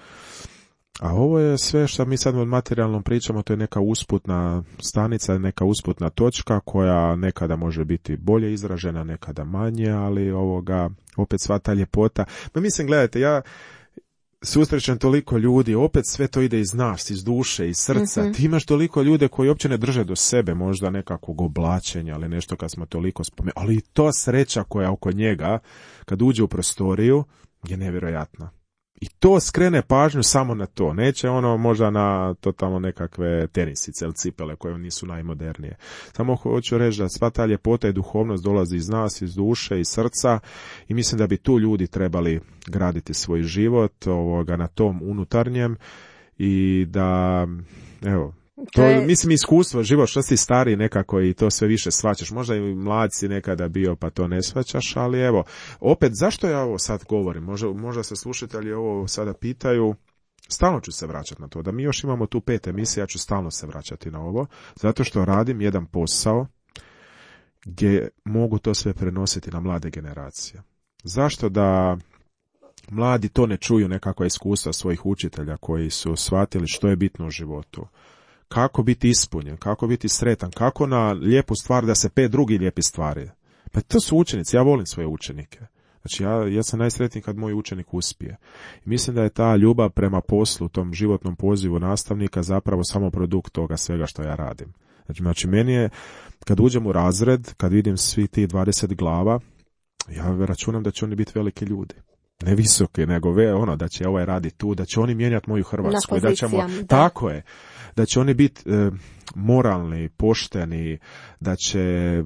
A ovo je sve što mi sad od materijalnom pričamo, to je neka usputna stanica, neka usputna točka koja nekada može biti bolje izražena, nekada manje, ali opet sva ta ljepota. No mislim, gledajte, ja susrećem toliko ljudi, opet sve to ide iz nas, iz duše, iz srca. Ti imaš toliko ljude koji uopće ne drže do sebe, možda nekakvog oblačenja, ali nešto kad smo toliko spomenuli. Ali i to sreća koja oko njega, kad uđe u prostoriju, je nevjerojatna. I to skrene pažnju samo na to. Neće možda na totalno nekakve tenisice ili cipele koje nisu najmodernije. Samo hoću reći da sva ta ljepota i duhovnost dolazi iz nas, iz duše, iz srca i mislim da bi tu ljudi trebali graditi svoj život na tom unutarnjem i da, mislim iskustvo, život, što si stariji nekako i to sve više shvaćaš. Možda i mlad si nekada bio pa to ne shvaćaš, ali opet, zašto ja ovo sad govorim? Možda se slušatelji ovo sada pitaju, stalno ću se vraćati na to. Da mi još imamo tu 5 emisija, ja ću stalno se vraćati na ovo, zato što radim jedan posao gdje mogu to sve prenositi na mlade generacije. Zašto da mladi to ne čuju, nekakva iskustva svojih učitelja koji su shvatili što je bitno u životu? Kako biti ispunjen, kako biti sretan, kako na lijepu stvar da se 5 drugih lijepi stvari. Pa to su učenici, ja volim svoje učenike. Znači ja sam najsretniji kad moj učenik uspije. I mislim da je ta ljubav prema poslu, tom životnom pozivu nastavnika zapravo samo produkt toga svega što ja radim. Znači meni je, kad uđem u razred, kad vidim svi ti 20 glava, ja računam da će oni biti veliki ljudi. ne visoke, nego da će ovaj raditi tu, da će oni mijenjati moju Hrvatsku, da ćemo, da. tako je, da će oni biti moralni, pošteni, da će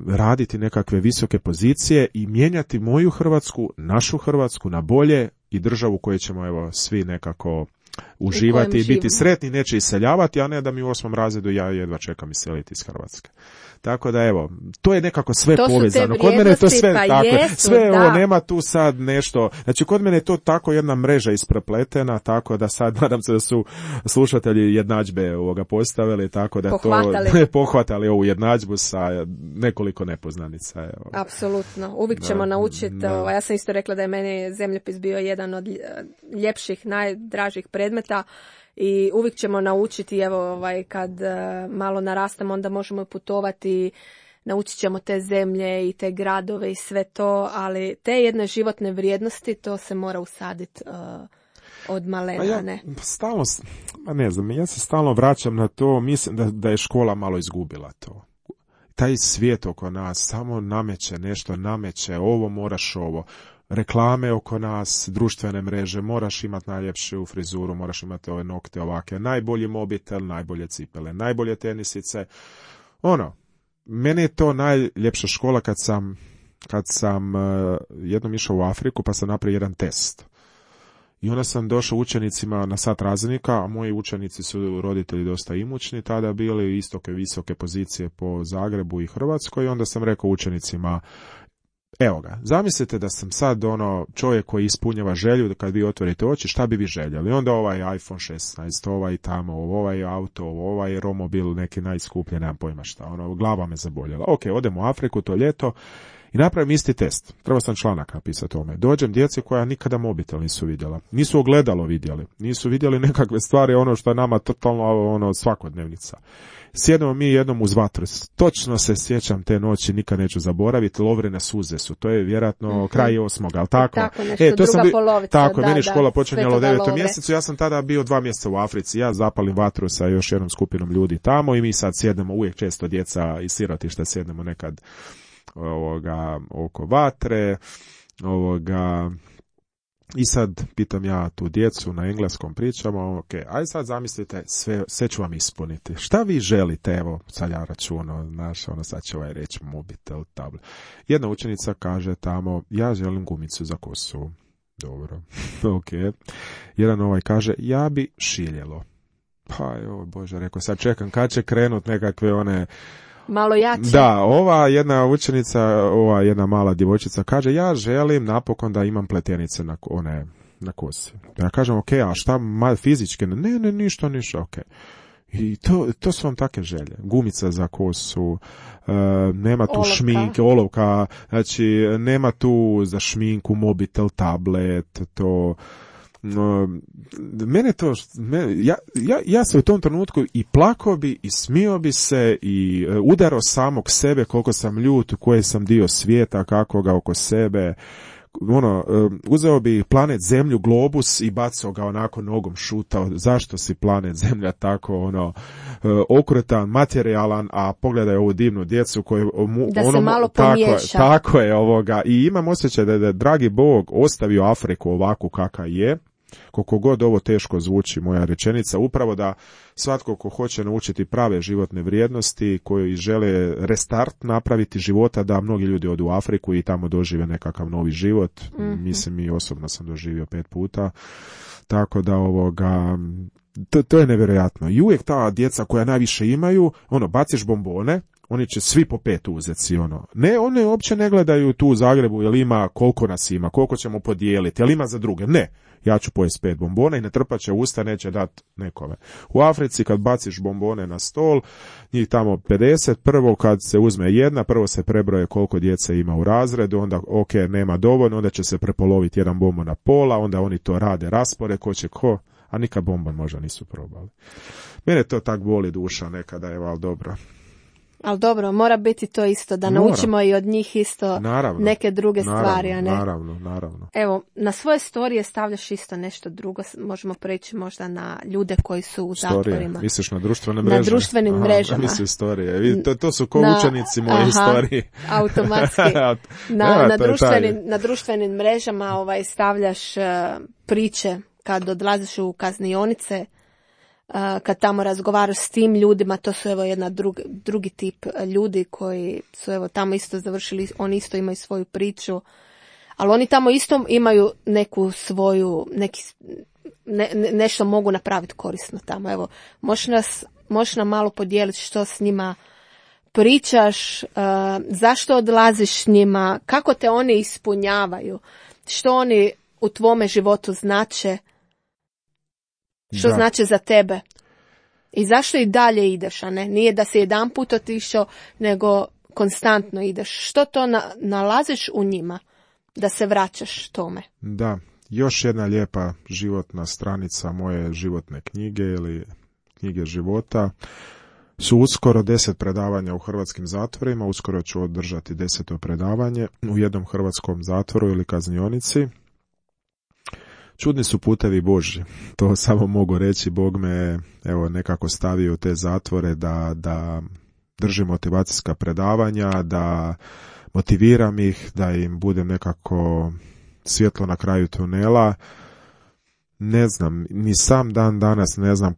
raditi nekakve visoke pozicije i mijenjati moju Hrvatsku, našu Hrvatsku na bolje i državu koju ćemo evo svi nekako uživati i biti sretni, neće iseljavati, a ne da mi u 8. razredu ja jedva čekam iseliti iz Hrvatske. Tako da evo, to je nekako sve to povezano. Kod mene je to sve pa tako. Jesu, sve da. ovo, nema tu sad nešto. Znači kod mene je to tako jedna mreža isprepletena, tako da sad nadam se da su slušatelji jednadžbe ovoga postavili, tako da pohvatali ovu jednadžbu sa nekoliko nepoznanica. Evo. Apsolutno. Uvijek ćemo naučiti. Ja sam isto rekla da je meni zemljopis bio jedan od ljepših, najdražih predmeta. I uvijek ćemo naučiti, evo, kad malo narastemo, onda možemo putovati, naučit ćemo te zemlje i te gradove i sve to, ali te jedne životne vrijednosti, to se mora usaditi od malena, ne? Ja se stalno vraćam na to, mislim da je škola malo izgubila to. Taj svijet oko nas samo nameće, ovo moraš ovo. Reklame oko nas, društvene mreže, moraš imati najljepšu frizuru, moraš imati ove nokte ovake, najbolji mobitel, najbolje cipele, najbolje tenisice. Meni je to najljepša škola kad sam jednom išao u Afriku pa sam napravio jedan test. I onda sam došao učenicima na sat razrednika, a moji učenici su roditelji dosta imućni, tada bili istoke visoke pozicije po Zagrebu i Hrvatskoj, i onda sam rekao učenicima, evo ga, zamislite da sam sad čovjek koji ispunjava želju da kad vi otvorite oči, šta bi vi željeli? Onda ovaj iPhone 16, ovaj tamo, ovaj auto, ovaj romobil, neki najskuplji, nemam pojma šta, glava me zaboljela. Ok, odemo u Afriku to ljeto i napravim isti test. Trebao sam članak napisati o tome. Dođem djeci koja nikada mobitel nisu vidjela. Nisu ogledalo vidjeli. Nisu vidjeli nekakve stvari, što je nama totalno svakodnevnica. Sjedemo mi jednom uz vatru. Točno se sjećam te noći, nikad neću zaboraviti, Lovrine suze su. To je vjerojatno kraj 8. ali tako? Tako nešto, druga polovica. Tako, meni škola počinjala u 9. mjesecu, ja sam tada bio 2 mjeseca u Africi, ja zapalim vatru sa još jednom skupinom ljudi tamo i mi sad sjednemo, uvijek često djeca iz sirotišta sjednemo nekad oko vatre, i sad pitam ja tu djecu, na engleskom pričamo, ok, aj sad zamislite, sve ću vam ispuniti. Šta vi želite, evo, sad ja računo, sad će ovaj reći mobitel, tablet. Jedna učenica kaže tamo, ja želim gumicu za kosu. Dobro, ok. Jedan kaže, ja bi šiljelo. Pa, Bože, rekao, sad čekam, kad će krenut nekakve malo jače. Da, ova jedna učenica, jedna mala djevojčica kaže, ja želim napokon da imam pletenice na kosi. Ja kažem, ok, a šta fizički? Ne, ništa, ok. I to su vam take želje. Gumica za kosu, nema tu šminke, olovka, znači nema tu za šminku, mobitel, tablet, to... Ja se u tom trenutku i plakao bi i smio bi se i udarao samog sebe koliko sam ljut, koji sam dio svijeta, kako ga oko sebe, uzeo bi planet Zemlju, globus i bacao ga onako nogom, šutao. Zašto si planet Zemlja tako okrutan, materijalan, a pogledaj ovu divnu djecu koju da se malo pomiješa. Tako je i imam osjećaj da je dragi Bog ostavio Afriku ovakvu kakva je. Koliko god ovo teško zvuči moja rečenica, upravo da svatko ko hoće naučiti prave životne vrijednosti, koji žele restart napraviti života, da mnogi ljudi odu u Afriku i tamo dožive nekakav novi život. Mislim, i osobno sam doživio 5 puta. Tako da to je nevjerojatno. I uvijek ta djeca koja najviše imaju, baciš bombone, oni će svi po 5 uzeti, Ne, one uopće ne gledaju tu u Zagrebu, jel ima, koliko nas ima, koliko ćemo podijeliti, jel ima za druge. Ne, ja ću pojesti 5 bombona i ne trpat će usta, neće dati nekome. U Africi kad baciš bombone na stol, njih tamo 50, prvo kad se uzme jedna, prvo se prebroje koliko djece ima u razredu, onda ok, nema dovoljno, onda će se prepoloviti jedan bombon na pola, onda oni to rade raspore, a nikad bombon možda nisu probali. Mene to tak boli duša nekada, ali dobro. Ali dobro, mora biti to isto, da naučimo i od njih isto neke druge stvari, a ne? Naravno. Evo, na svoje storije stavljaš isto nešto drugo, možemo preći možda na ljude koji su u zatvorima. Misliš na društvene mreže? Na društvenim mrežama. Misliš storije. To su ko učenici moje storije. Automatski. Na društvenim mrežama stavljaš priče kad odlaziš u kaznionice, kad tamo razgovaraš s tim ljudima, to su evo jedna drugi tip ljudi koji su evo tamo isto završili, oni isto imaju svoju priču, ali oni tamo isto imaju neku svoju, nešto mogu napraviti korisno tamo. Evo, možeš nam malo podijeliti što s njima pričaš, zašto odlaziš s njima, kako te oni ispunjavaju, što oni u tvome životu znače, što znači za tebe i zašto i dalje ideš, a ne? Nije da si jedan put otišao, nego konstantno ideš. Što to nalaziš u njima da se vraćaš tome? Da, još jedna lijepa životna stranica moje životne knjige ili knjige života su uskoro 10 predavanja u hrvatskim zatvorima. Uskoro ću održati 10. predavanje u jednom hrvatskom zatvoru ili kaznionici. Čudni su putevi Božji, to samo mogu reći. Bog me nekako stavio u te zatvore da držim motivacijska predavanja, da motiviram ih, da im budem nekako svjetlo na kraju tunela. Ne znam, ni sam dan danas ne znam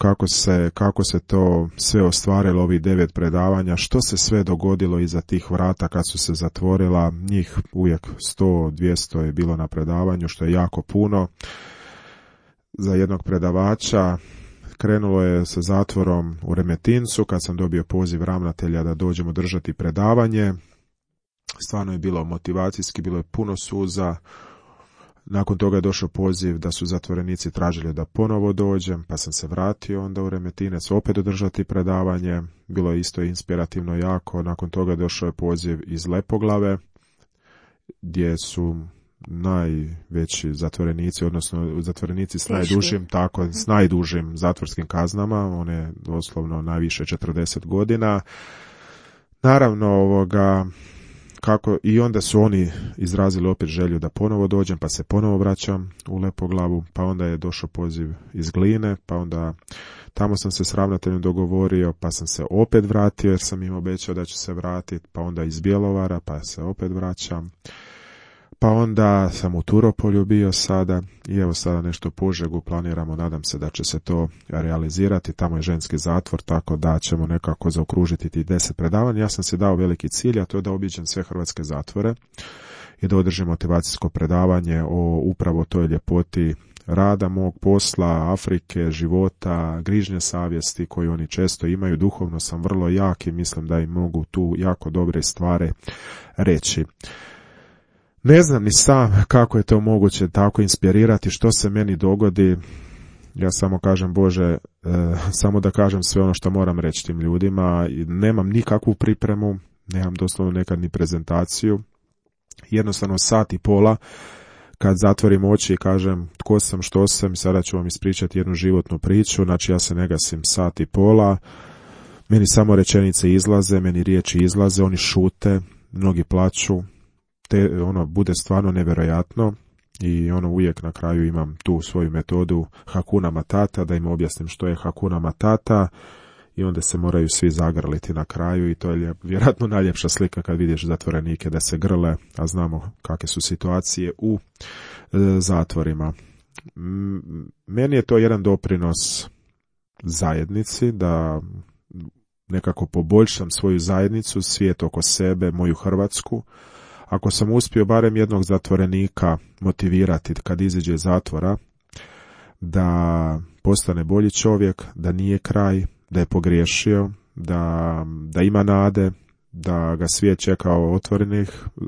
kako se to sve ostvarilo, ovih 9 predavanja, što se sve dogodilo iza tih vrata kad su se zatvorila. Njih uvijek 100-200 je bilo na predavanju, što je jako puno za jednog predavača. Krenulo je sa zatvorom u Remetincu kad sam dobio poziv ravnatelja da dođemo držati predavanje. Stvarno je bilo motivacijski, bilo je puno suza. Nakon toga je došao poziv da su zatvorenici tražili da ponovo dođem, pa sam se vratio onda u Remetinec opet održati predavanje. Bilo je isto inspirativno jako. Nakon toga je došao je poziv iz Lepoglave, gdje su najveći zatvorenici, odnosno zatvorenici s najdužim zatvorskim kaznama, one doslovno najviše 40 godina. Naravno, kako i onda su oni izrazili opet želju da ponovo dođem, pa se ponovo vraćam u Lepoglavu, pa onda je došao poziv iz Gline, pa onda tamo sam se s ravnateljem dogovorio, pa sam se opet vratio jer sam im obećao da ću se vratiti, pa onda iz Bjelovara, pa se opet vraćam. Pa onda sam u Turopolju bio sada i evo sada nešto u Požegu planiramo, nadam se da će se to realizirati. Tamo je ženski zatvor, tako da ćemo nekako zaokružiti tih 10 predavanja. Ja sam si dao veliki cilj, a to je da obiđem sve hrvatske zatvore i da održim motivacijsko predavanje o upravo toj ljepoti rada mog posla, Afrike, života, grižnje savjesti koju oni često imaju. Duhovno sam vrlo jak i mislim da im mogu tu jako dobre stvari reći. Ne znam ni sam kako je to moguće tako inspirirati, što se meni dogodi. Ja samo kažem, Bože, samo da kažem sve ono što moram reći tim ljudima. Nemam nikakvu pripremu, nemam doslovno nekad ni prezentaciju. Jednostavno sat i pola kad zatvorim oči i kažem tko sam, što sam, sada ću vam ispričati jednu životnu priču. Znači ja se ne gasim sat i pola, meni samo rečenice izlaze, meni riječi izlaze, oni šute, mnogi plaču. Bude stvarno nevjerojatno i uvijek na kraju imam tu svoju metodu Hakuna Matata, da im objasnim što je Hakuna Matata i onda se moraju svi zagrliti na kraju i to je vjerojatno najljepša slika kad vidiš zatvorenike da se grle, a znamo kakve su situacije u zatvorima. Meni je to jedan doprinos zajednici, da nekako poboljšam svoju zajednicu, svijet oko sebe, moju Hrvatsku. Ako sam uspio barem jednog zatvorenika motivirati kad iziđe iz zatvora da postane bolji čovjek, da nije kraj, da je pogriješio, da ima nade, da ga svijet čeka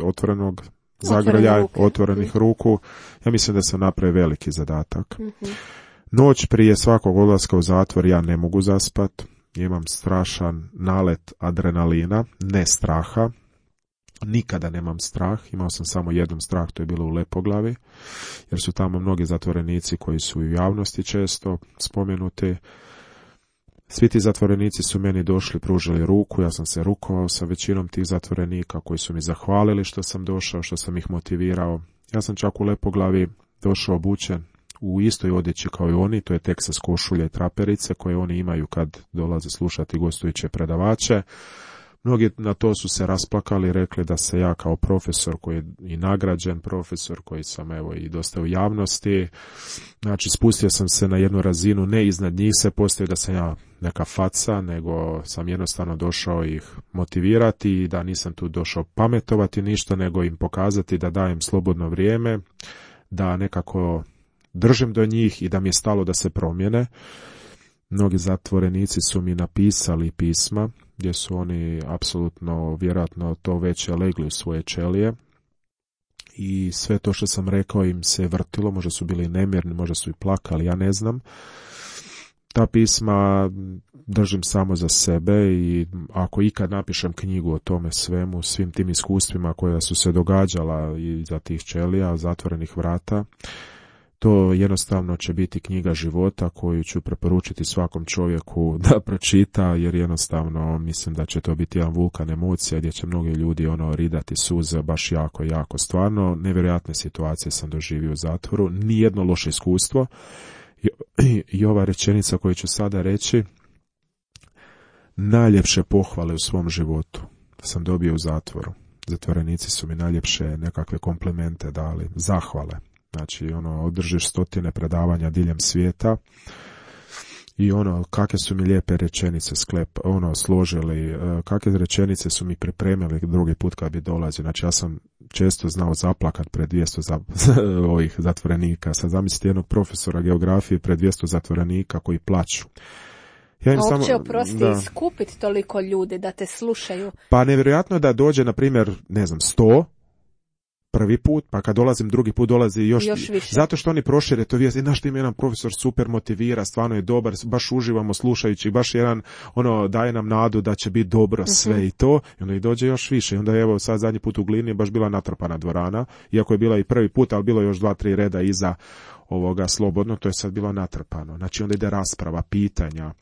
otvorenog zagrlja, otvorenih ruku, ja mislim da sam napravio veliki zadatak. Noć prije svakog odlaska u zatvor ja ne mogu zaspat, imam strašan nalet adrenalina, ne straha. Nikada nemam strah, imao sam samo jednom strah, to je bilo u Lepoglavi, jer su tamo mnogi zatvorenici koji su u javnosti često spomenuti. Svi ti zatvorenici su meni došli, pružili ruku, ja sam se rukovao sa većinom tih zatvorenika koji su mi zahvalili što sam došao, što sam ih motivirao. Ja sam čak u Lepoglavi došao obučen u istoj odjeći kao i oni, to je Texas košulje i traperice koje oni imaju kad dolaze slušati gostujuće predavače. Mnogi na to su se rasplakali, rekli da se ja kao profesor koji je i nagrađen profesor, koji sam evo i dosta u javnosti, znači spustio sam se na jednu razinu, ne iznad njih se postoji da sam ja neka faca, nego sam jednostavno došao ih motivirati i da nisam tu došao pametovati ništa, nego im pokazati da dajem slobodno vrijeme, da nekako držim do njih i da mi je stalo da se promijene. Mnogi zatvorenici su mi napisali pisma gdje su oni apsolutno vjerojatno to već legli u svoje ćelije i sve to što sam rekao im se vrtilo, možda su bili nemirni, možda su i plakali, ja ne znam. Ta pisma držim samo za sebe i ako ikad napišem knjigu o tome svemu, svim tim iskustvima koja su se događala iza tih ćelija, zatvorenih vrata, to jednostavno će biti knjiga života koju ću preporučiti svakom čovjeku da pročita, jer jednostavno mislim da će to biti jedan vulkan emocija gdje će mnogi ljudi ridati suze baš jako. Stvarno, nevjerojatne situacije sam doživio u zatvoru, nijedno loše iskustvo. I ova rečenica koju ću sada reći, najljepše pohvale u svom životu sam dobio u zatvoru. Zatvorenici su mi najljepše nekakve komplimente dali, zahvale. Znači, održiš 100 predavanja diljem svijeta i kakve su mi lijepe rečenice složili, kakve rečenice su mi pripremili drugi put kad bi dolazio. Znači, ja sam često znao zaplakat pred 200 ovih zatvorenika. Sad zamislite jednog profesora geografije pred 200 zatvorenika koji plaću. Ja im uopće oprosti iskupiti toliko ljudi da te slušaju. Pa nevjerojatno da dođe, na primjer, 100 prvi put, pa kad dolazim drugi put dolazi još više. Zato što oni prošire to vijest. Znaš, tim jedan profesor super motivira, stvarno je dobar, baš uživamo slušajući, baš jedan daje nam nadu da će biti dobro sve i to. I onda i dođe još više. I onda evo sad zadnji put u Glini je baš bila natrpana dvorana, iako je bila i prvi put, ali bilo još 2-3 reda iza ovoga slobodno, to je sad bilo natrpano. Znači onda ide rasprava, pitanja.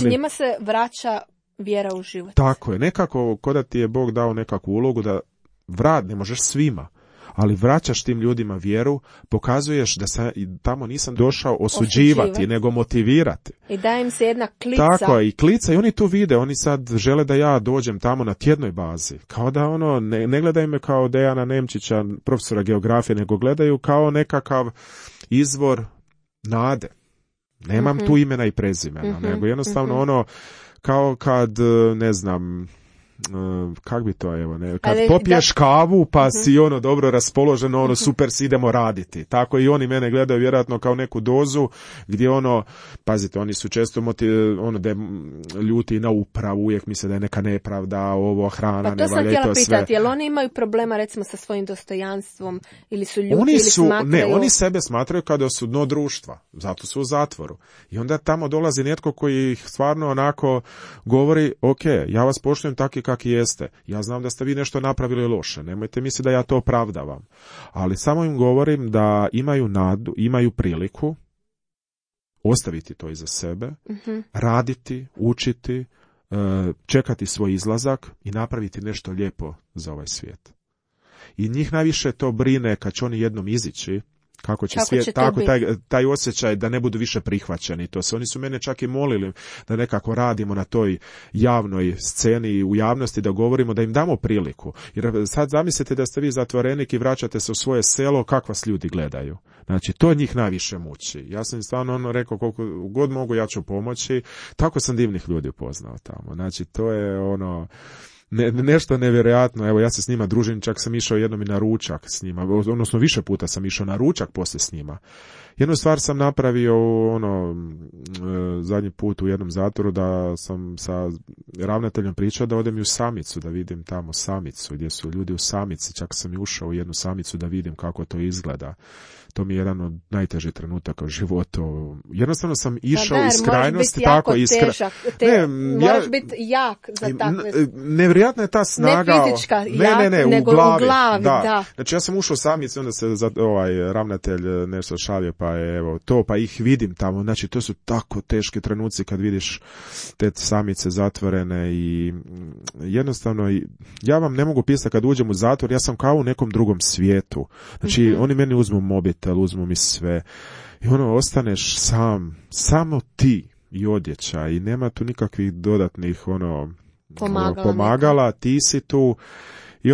Njima se vraća vjera u život. Tako je, nekako ko da ti je Bog dao nekakvu ulogu da ne možeš svima, ali vraćaš tim ljudima vjeru, pokazuješ da tamo nisam došao osuđivati, nego motivirati. I daje im se jedna klica. Tako je, i klica, i oni to vide, oni sad žele da ja dođem tamo na tjednoj bazi. Kao da ne gledaju me kao Dejana Nemčića, profesora geografije, nego gledaju kao nekakav izvor nade. Nemam tu imena i prezimena, nego jednostavno kao kad, ne znam, kak bi to, kad popiješ kavu pa si dobro raspoloženo, super si, idemo raditi. Tako i oni mene gledaju vjerojatno kao neku dozu gdje pazite, oni su često da ljuti na upravu, uvijek misle da je neka nepravda, hrana, ne valja i to sve. Pa to sam htjela pitati, jel oni imaju problema recimo sa svojim dostojanstvom ili su ljuti ili smatraju? Ne, oni sebe smatraju kao su dno društva, zato su u zatvoru. I onda tamo dolazi netko koji ih stvarno onako govori, ok, ja vas poštujem taki kakvi jeste. Ja znam da ste vi nešto napravili loše. Nemojte misliti da ja to opravdavam. Ali samo im govorim da imaju nadu, imaju priliku ostaviti to iza sebe, raditi, učiti, čekati svoj izlazak i napraviti nešto lijepo za ovaj svijet. I njih najviše to brine kad će oni jednom izići, kako će svijet, tako taj osjećaj da ne budu više prihvaćeni. Oni su mene čak i molili da nekako radimo na toj javnoj sceni u javnosti, da govorimo, da im damo priliku. Jer sad zamislite da ste vi zatvorenik i vraćate se u svoje selo, kako vas ljudi gledaju. Znači, to njih najviše muči. Ja sam stvarno rekao, koliko god mogu ja ću pomoći. Tako sam divnih ljudi upoznao tamo. Znači, to je nešto nevjerojatno. Evo, ja se s njima družim, čak sam išao jednom i na ručak s njima, odnosno više puta sam išao na ručak poslije s njima. Jednu stvar sam napravio zadnji put u jednom zatvoru, da sam sa ravnateljem pričao da odem i u samicu, da vidim tamo samicu, gdje su ljudi u samici, čak sam i ušao u jednu samicu da vidim kako to izgleda. To mi je jedan od najtežih trenutaka u životu. Jednostavno sam išao iz krajnosti, tako težak. Moraš biti jak za takve. nevjerojatna je ta snaga. Ne fizička, nego u glavi. Da. Znači ja sam ušao u samice, onda se ravnatelj nešto šalio, pa je evo to, pa ih vidim tamo. Znači to su tako teški trenuci kad vidiš te samice zatvorene i jednostavno ja vam ne mogu pisati kad uđem u zatvor, ja sam kao u nekom drugom svijetu. Znači oni meni uzmu mobitel, uzmu mi sve i ostaneš sam, samo ti i odjeća i nema tu nikakvih dodatnih pomagala, ti si tu i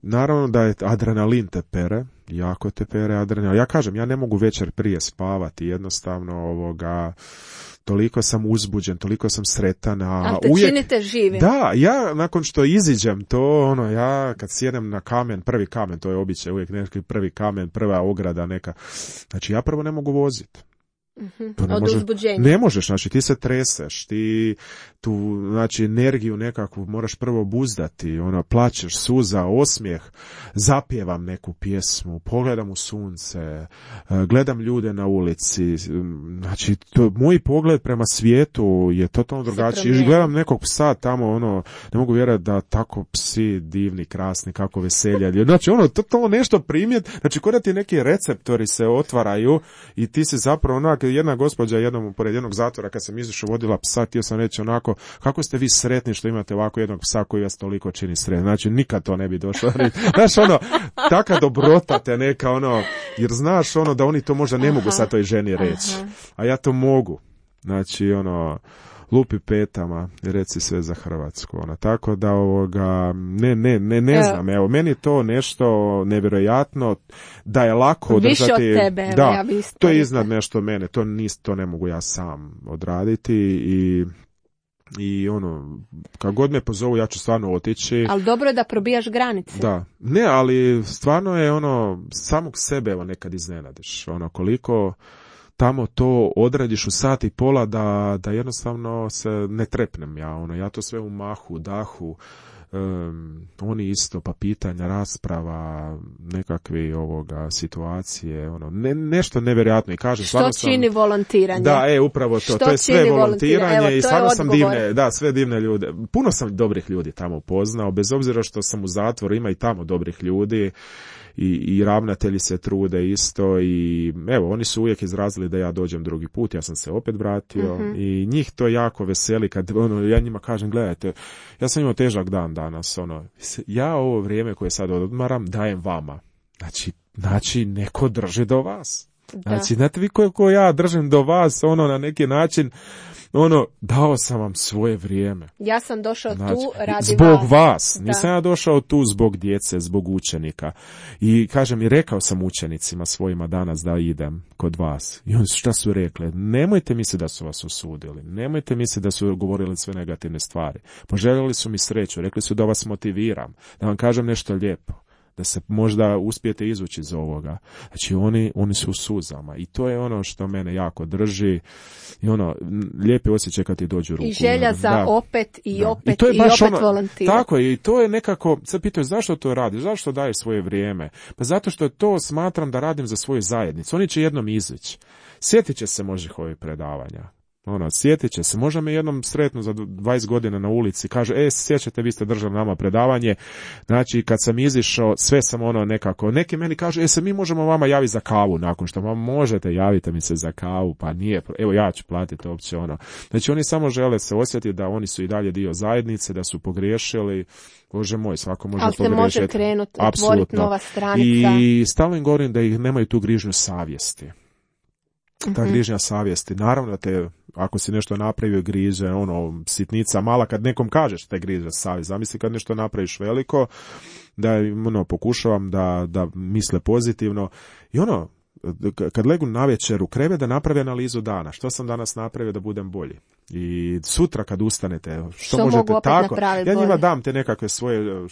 naravno da je adrenalin te pere, jako te pere adrenalin. Ja kažem, ja ne mogu večer prije spavati, jednostavno toliko sam uzbuđen, toliko sam sretan. Ali te činite živim. Da, ja nakon što iziđem to, ja kad sjedem na kamen, prvi kamen, to je običaj, uvijek neki prvi kamen, prva ograda neka, znači ja prvo ne mogu voziti. Od uzbuđenja. Ne možeš, znači ti se treseš, ti tu, znači energiju nekakvu moraš prvo obuzdati, plačeš, suza, osmijeh, zapjevam neku pjesmu, pogledam u sunce, gledam ljude na ulici, znači moj pogled prema svijetu je totalno drugačiji. Gledam nekog psa tamo, ne mogu vjerovati da tako psi divni, krasni, kako veselja. Znači totalno nešto primjet, znači kod da ti neki receptori se otvaraju i ti si zapravo jedna gospođa pored jednog zatvora kad sam izašao vodila psa, htio sam reći kako ste vi sretni što imate ovako jednog psa koji vas toliko čini sretni. Znači nikad to ne bi došlo. Znaš taka dobrota te neka jer znaš da oni to možda ne mogu sad toj ženi reći. A ja to mogu. Znači lupi petama i reci sve za Hrvatsku. Tako da ne znam. Evo, meni je to nešto nevjerojatno da je lako održati. Više od tebe. Da, ja to je iznad nešto mene. To ne mogu ja sam odraditi i kad god me pozovu ja ću stvarno otići. Ali dobro je da probijaš granice. Da. Ne, ali stvarno je samog sebe nekad iznenadiš. Koliko tamo to odradiš u sat i pola da jednostavno se ne trepnem ja to sve u mahu, dahu, oni isto, pa pitanja, rasprava, nekakve situacije, nešto nevjerojatno i kažem, što čini volontiranje? Da, upravo to, to je sve volontiranje i stvarno sam sve divne ljude. Puno sam dobrih ljudi tamo upoznao, bez obzira što sam u zatvoru, ima i tamo dobrih ljudi. I ravnatelji se trude isto i evo, oni su uvijek izrazili da ja dođem drugi put, ja sam se opet vratio i njih to jako veseli kad ja njima kažem, gledajte, ja sam imao težak dan danas, ja ovo vrijeme koje sad odmaram dajem vama, znači neko drži do vas. Znači, znate vi koliko ja držim do vas, na neki način, dao sam vam svoje vrijeme. Ja sam došao tu radi zbog vas. Nisam ja došao tu zbog djece, zbog učenika. I kažem, i rekao sam učenicima svojima danas da idem kod vas. I oni šta su rekli? Nemojte misliti da su vas osudili. Nemojte misliti da su govorili sve negativne stvari. Poželjeli su mi sreću. Rekli su da vas motiviram. Da vam kažem nešto lijepo. Da se možda uspijete izvući iz ovoga. Znači oni su u suzama i to je što mene jako drži i lijepi osjećaj kad ti dođu ruku. I želja za opet i opet i opet volontirati. Tako i to je nekako, sad pitaju zašto to radiš, zašto daješ svoje vrijeme? Pa zato što to smatram da radim za svoju zajednicu. Oni će jednom izići. Sjetit će se možda ovih predavanja. Sjetit će se, možda me jednom sretnu za 20 godina na ulici, kaže, sjećate, vi ste držali nama predavanje, znači kad sam izišao, sve sam nekako, neki meni kažu, se mi možemo vama javiti za kavu nakon što, možete, javite mi se za kavu, pa nije, evo ja ću platiti uopće Znači oni samo žele se osjetiti da oni su i dalje dio zajednice, da su pogriješili, Bože moj, svako može pogriješiti. Ali se može krenuti, otvoriti nova stranica. I stalno im govorim da ih nemaju tu grižnju savjesti. Ta grižnja savjesti, naravno da te, ako si nešto napravio, griže, sitnica mala, kad nekom kažeš te griže savjest, zamisli kad nešto napraviš veliko, da pokušavam da misle pozitivno i kad legnu navečer u krevet da napravi analizu dana, što sam danas napravio da budem bolji. I sutra kad ustanete, što možete tako, ja njima dam te nekakve svoje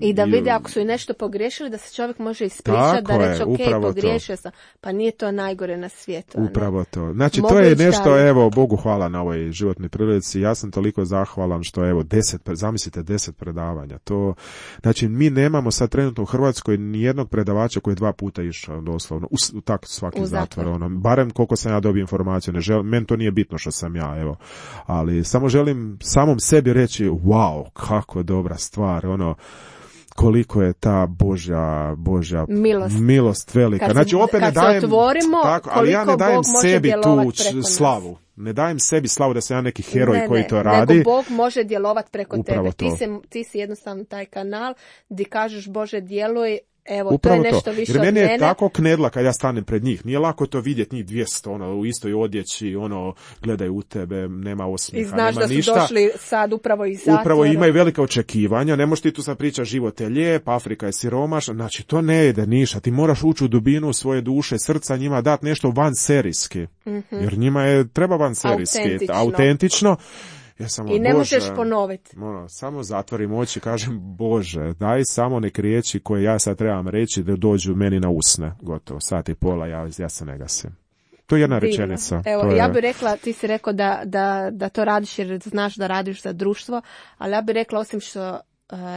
i da vide ako su i nešto pogriješili, da se čovjek može ispričati, da reći pogriješio sam, pa nije to najgore na svijetu. Upravo to. Znači to je nešto, evo, Bogu hvala na ovoj životnoj prilici, ja sam toliko zahvalan što evo, zamislite 10 predavanja. To, znači mi nemamo sad trenutno u Hrvatskoj ni jednog predavača koji je 2 puta išao doslovno, tak svaki zatvor. Ono, barem koliko sam ja dobio informaciju, meni to nije bitno što sam ja, evo. Ali samo želim samom sebi reći, wow, kako dobra stvar, ono, koliko je ta Božja milost velika. Znači, opet ne dajem, tako, ali ja ne dajem sebi tu slavu. Ne dajem sebi slavu da sam ja neki heroj koji to radi. Nego Bog može djelovati preko upravo tebe. Ti si jednostavno taj kanal gdje kažeš Bože djeluj. Evo, upravo to je nešto više jer od meni je mene. tako knedla kad ja stanem pred njih. Nije lako to vidjeti njih 200, ono, u istoj odjeći, ono, gledaju u tebe, nema osmijeha, i znaš nema da su ništa. Došli sad upravo iz zatvora. Upravo imaju velika očekivanja, ne možeš ti tu sad pričati život je lijep, Afrika je siromašna, znači to ne ide ništa. Ti moraš ući u dubinu svoje duše, srca, njima dati nešto vanserijski. Jer njima je treba vanserijski, autentično. Ja samo, i ne možeš ponoviti. Samo zatvorim oči i kažem, Bože, daj samo nek riječi koje ja sad trebam reći da dođu meni na usne. Gotovo, sat i pola, ja se ne gasim. To je jedna rečenica. Evo, ja bih rekla, ti si rekao da to radiš jer znaš da radiš za društvo, ali ja bih rekla osim što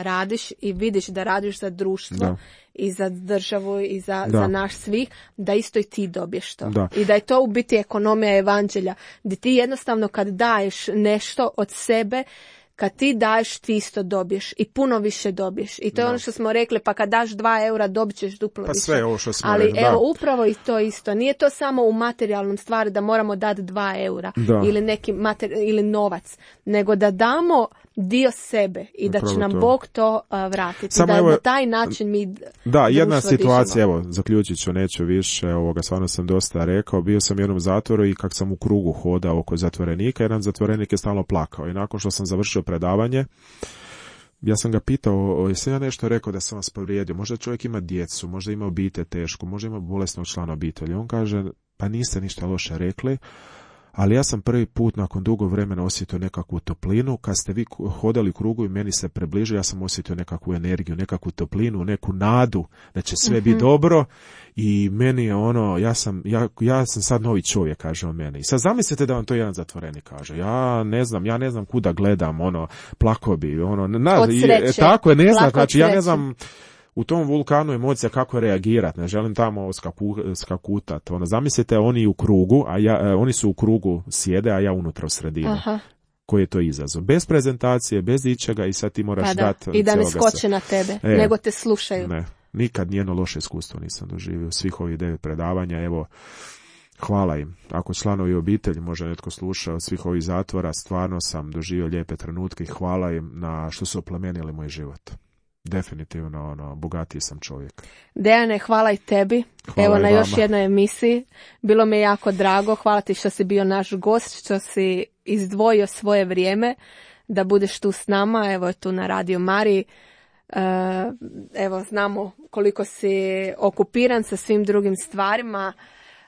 radiš i vidiš da radiš za društvo i za državu i za naš svih, da isto i ti dobiješ to. I da je to u biti ekonomija evanđelja, gdje ti jednostavno kad daješ nešto od sebe, kad ti daješ, ti isto dobiješ i puno više dobiješ. I to je ono što smo rekli, pa kad daš 2 eura, dobit ćeš duplo više. Sve ovo što smo ali rekli, evo, upravo i to isto. Nije to samo u materijalnom stvari da moramo dati 2 eura ili neki ili novac, nego da damo dio sebe i da će nam Bog to vratiti. Samo da evo, na taj način mi jedna situacija, evo, zaključit ću, neću više, stvarno sam dosta rekao, bio sam u jednom zatvoru i kak sam u krugu hodao oko zatvorenika, jedan zatvorenik je stalno plakao i nakon što sam završio predavanje, ja sam ga pitao, jesam ja nešto rekao da sam vas povrijedio, možda čovjek ima djecu, možda ima obitelj tešku, možda ima bolesnog člana obitelji. On kaže, pa niste ništa loše rekli, ali ja sam prvi put nakon dugo vremena osjetio nekakvu toplinu. Kad ste vi hodali u krugu i meni se približio, ja sam osjetio nekakvu energiju, nekakvu toplinu, neku nadu da će sve biti dobro i meni je ono, ja sam sad novi čovjek, kaže on meni. I sad zamislite da vam to jedan zatvorenik kaže. Ja ne znam kuda gledam, plako bi, od sreće. Tako je, ne znam, znači ja ne znam u tom vulkanu emocija kako reagirati, ne želim tamo skakutat. Zamislite, oni u krugu, oni su u krugu sjede, a ja unutra u sredini. Aha. Koji je to izazov? Bez prezentacije, bez ičega i sad ti moraš dati. I da ne skoče na tebe, nego te slušaju. Ne, nikad nijedno loše iskustvo nisam doživio. Svih ovih 9 predavanja, evo, hvala im. Ako članovi obitelji, možda netko sluša od svih ovih zatvora, stvarno sam doživio lijepe trenutke i hvala im na što su oplemenili moj život. Definitivno, bogatiji sam čovjek. Dejane, hvala i tebi. Hvala evo i na vama. još jednoj emisiji. Bilo mi je jako drago. Hvala ti što si bio naš gost, što si izdvojio svoje vrijeme da budeš tu s nama. Evo tu na Radio Mariji. Evo, znamo koliko si okupiran sa svim drugim stvarima.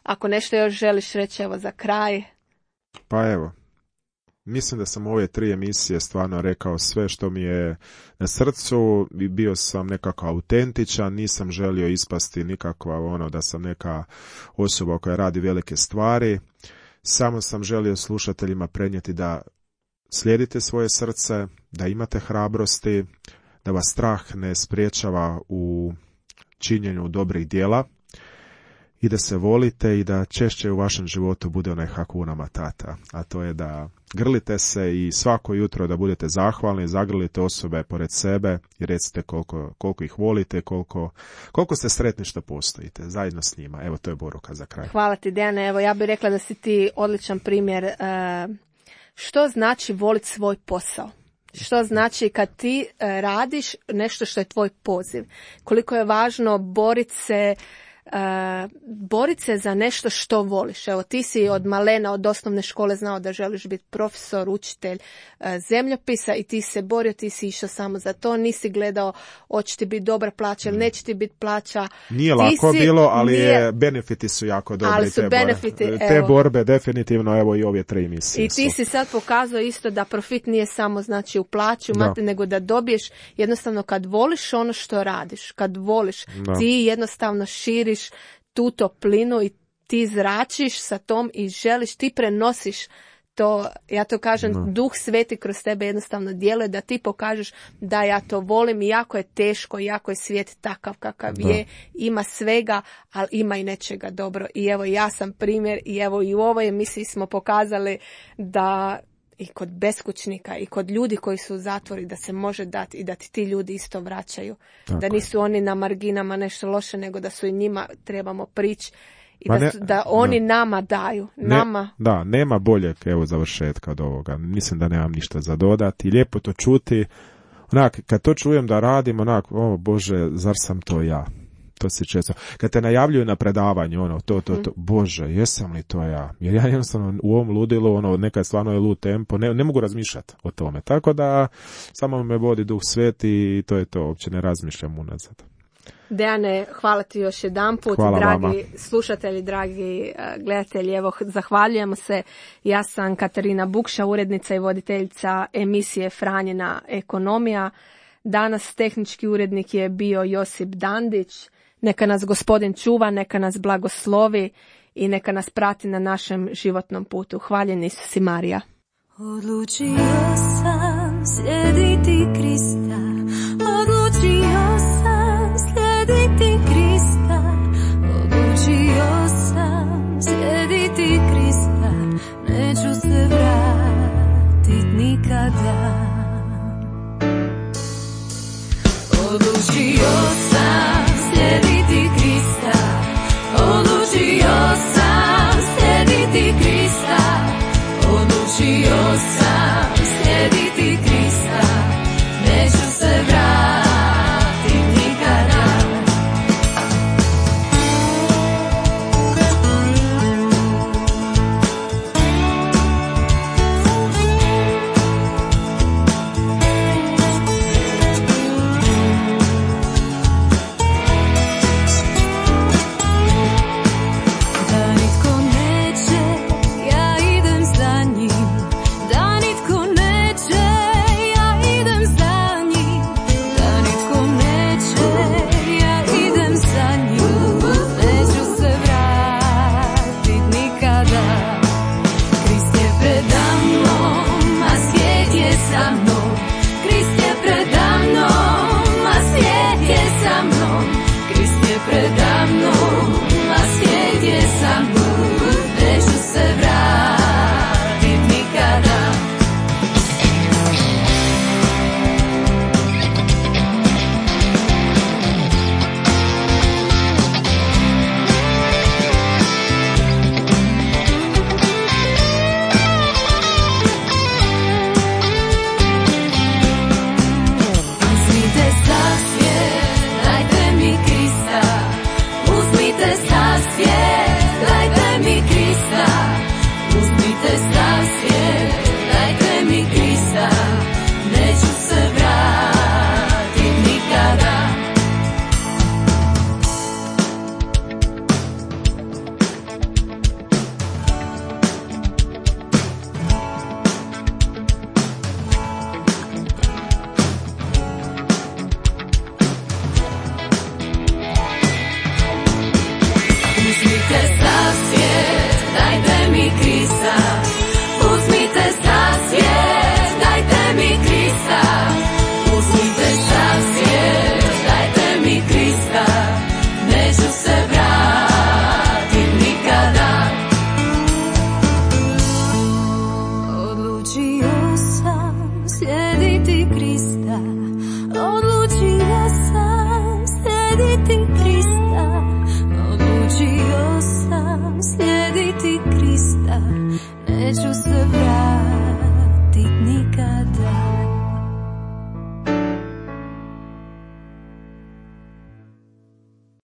Ako nešto još želiš reći, evo za kraj. Pa evo. Mislim da sam u ove 3 emisije stvarno rekao sve što mi je na srcu i bio sam nekako autentičan, nisam želio ispasti nikakva da sam neka osoba koja radi velike stvari, samo sam želio slušateljima prenijeti da slijedite svoje srce, da imate hrabrosti, da vas strah ne spriječava u činjenju dobrih djela i da se volite i da češće u vašem životu bude onaj Hakuna Matata, a to je da grlite se i svako jutro da budete zahvalni, zagrlite osobe pored sebe i recite koliko ih volite, koliko ste sretni što postojite zajedno s njima. Evo, to je poruka za kraj. Hvala ti, Dejane. Evo, ja bih rekla da si ti odličan primjer što znači voliti svoj posao. Što znači kad ti radiš nešto što je tvoj poziv. Koliko je važno boriti se za nešto što voliš. Evo, ti si od malena, od osnovne škole znao da želiš biti profesor, učitelj zemljopisa i ti se borio, ti si išao samo za to, nisi gledao hoće ti biti dobra plaća ili neće ti biti plaća. Nije lako bilo, ali benefiti su jako dobri. Ali su te borbe definitivno, evo i ove 3 emisije. I ti si sad pokazao isto da profit nije samo znači u plaću, nego da dobiješ jednostavno kad voliš ono što radiš, kad voliš, ti jednostavno širiš tu toplinu i ti zračiš sa tom i želiš, ti prenosiš to, ja to kažem, Duh Sveti kroz tebe jednostavno djeluje da ti pokažeš da ja to volim, iako je teško, iako je svijet takav kakav je, ima svega, ali ima i nečega dobro. I evo, ja sam primjer i evo i u ovoj emisiji smo pokazali da i kod beskućnika i kod ljudi koji su u zatvori da se može dati i da ti ljudi isto vraćaju. Tako. Da nisu oni na marginama nešto loše, nego da su i njima trebamo prići i da oni nama daju. Nema boljeg završetka od ovoga. Mislim da nemam ništa za dodati. Lijepo to čuti. Onak, kad to čujem da radim, onak, o Bože, zar sam to ja? To se često. Kad te najavljuju na predavanju, to, Bože, jesam li to ja? Jer ja jednostavno u ovom ludilu, nekad stvarno je lud tempo, ne mogu razmišljati o tome. Tako da samo me vodi Duh Sveti i to je to, uopće ne razmišljam unazad. Dejane, hvala ti još jedanput, dragi slušatelji, dragi gledatelji, evo, zahvaljujemo se. Ja sam Katarina Bukša, urednica i voditeljica emisije Franjina ekonomija. Danas tehnički urednik je bio Josip Dandić. Neka nas Gospodin čuva, neka nas blagoslovi i neka nas prati na našem životnom putu. Hvaljen Isus i Marija. Odlučio sam slijediti Krista, odlučio sam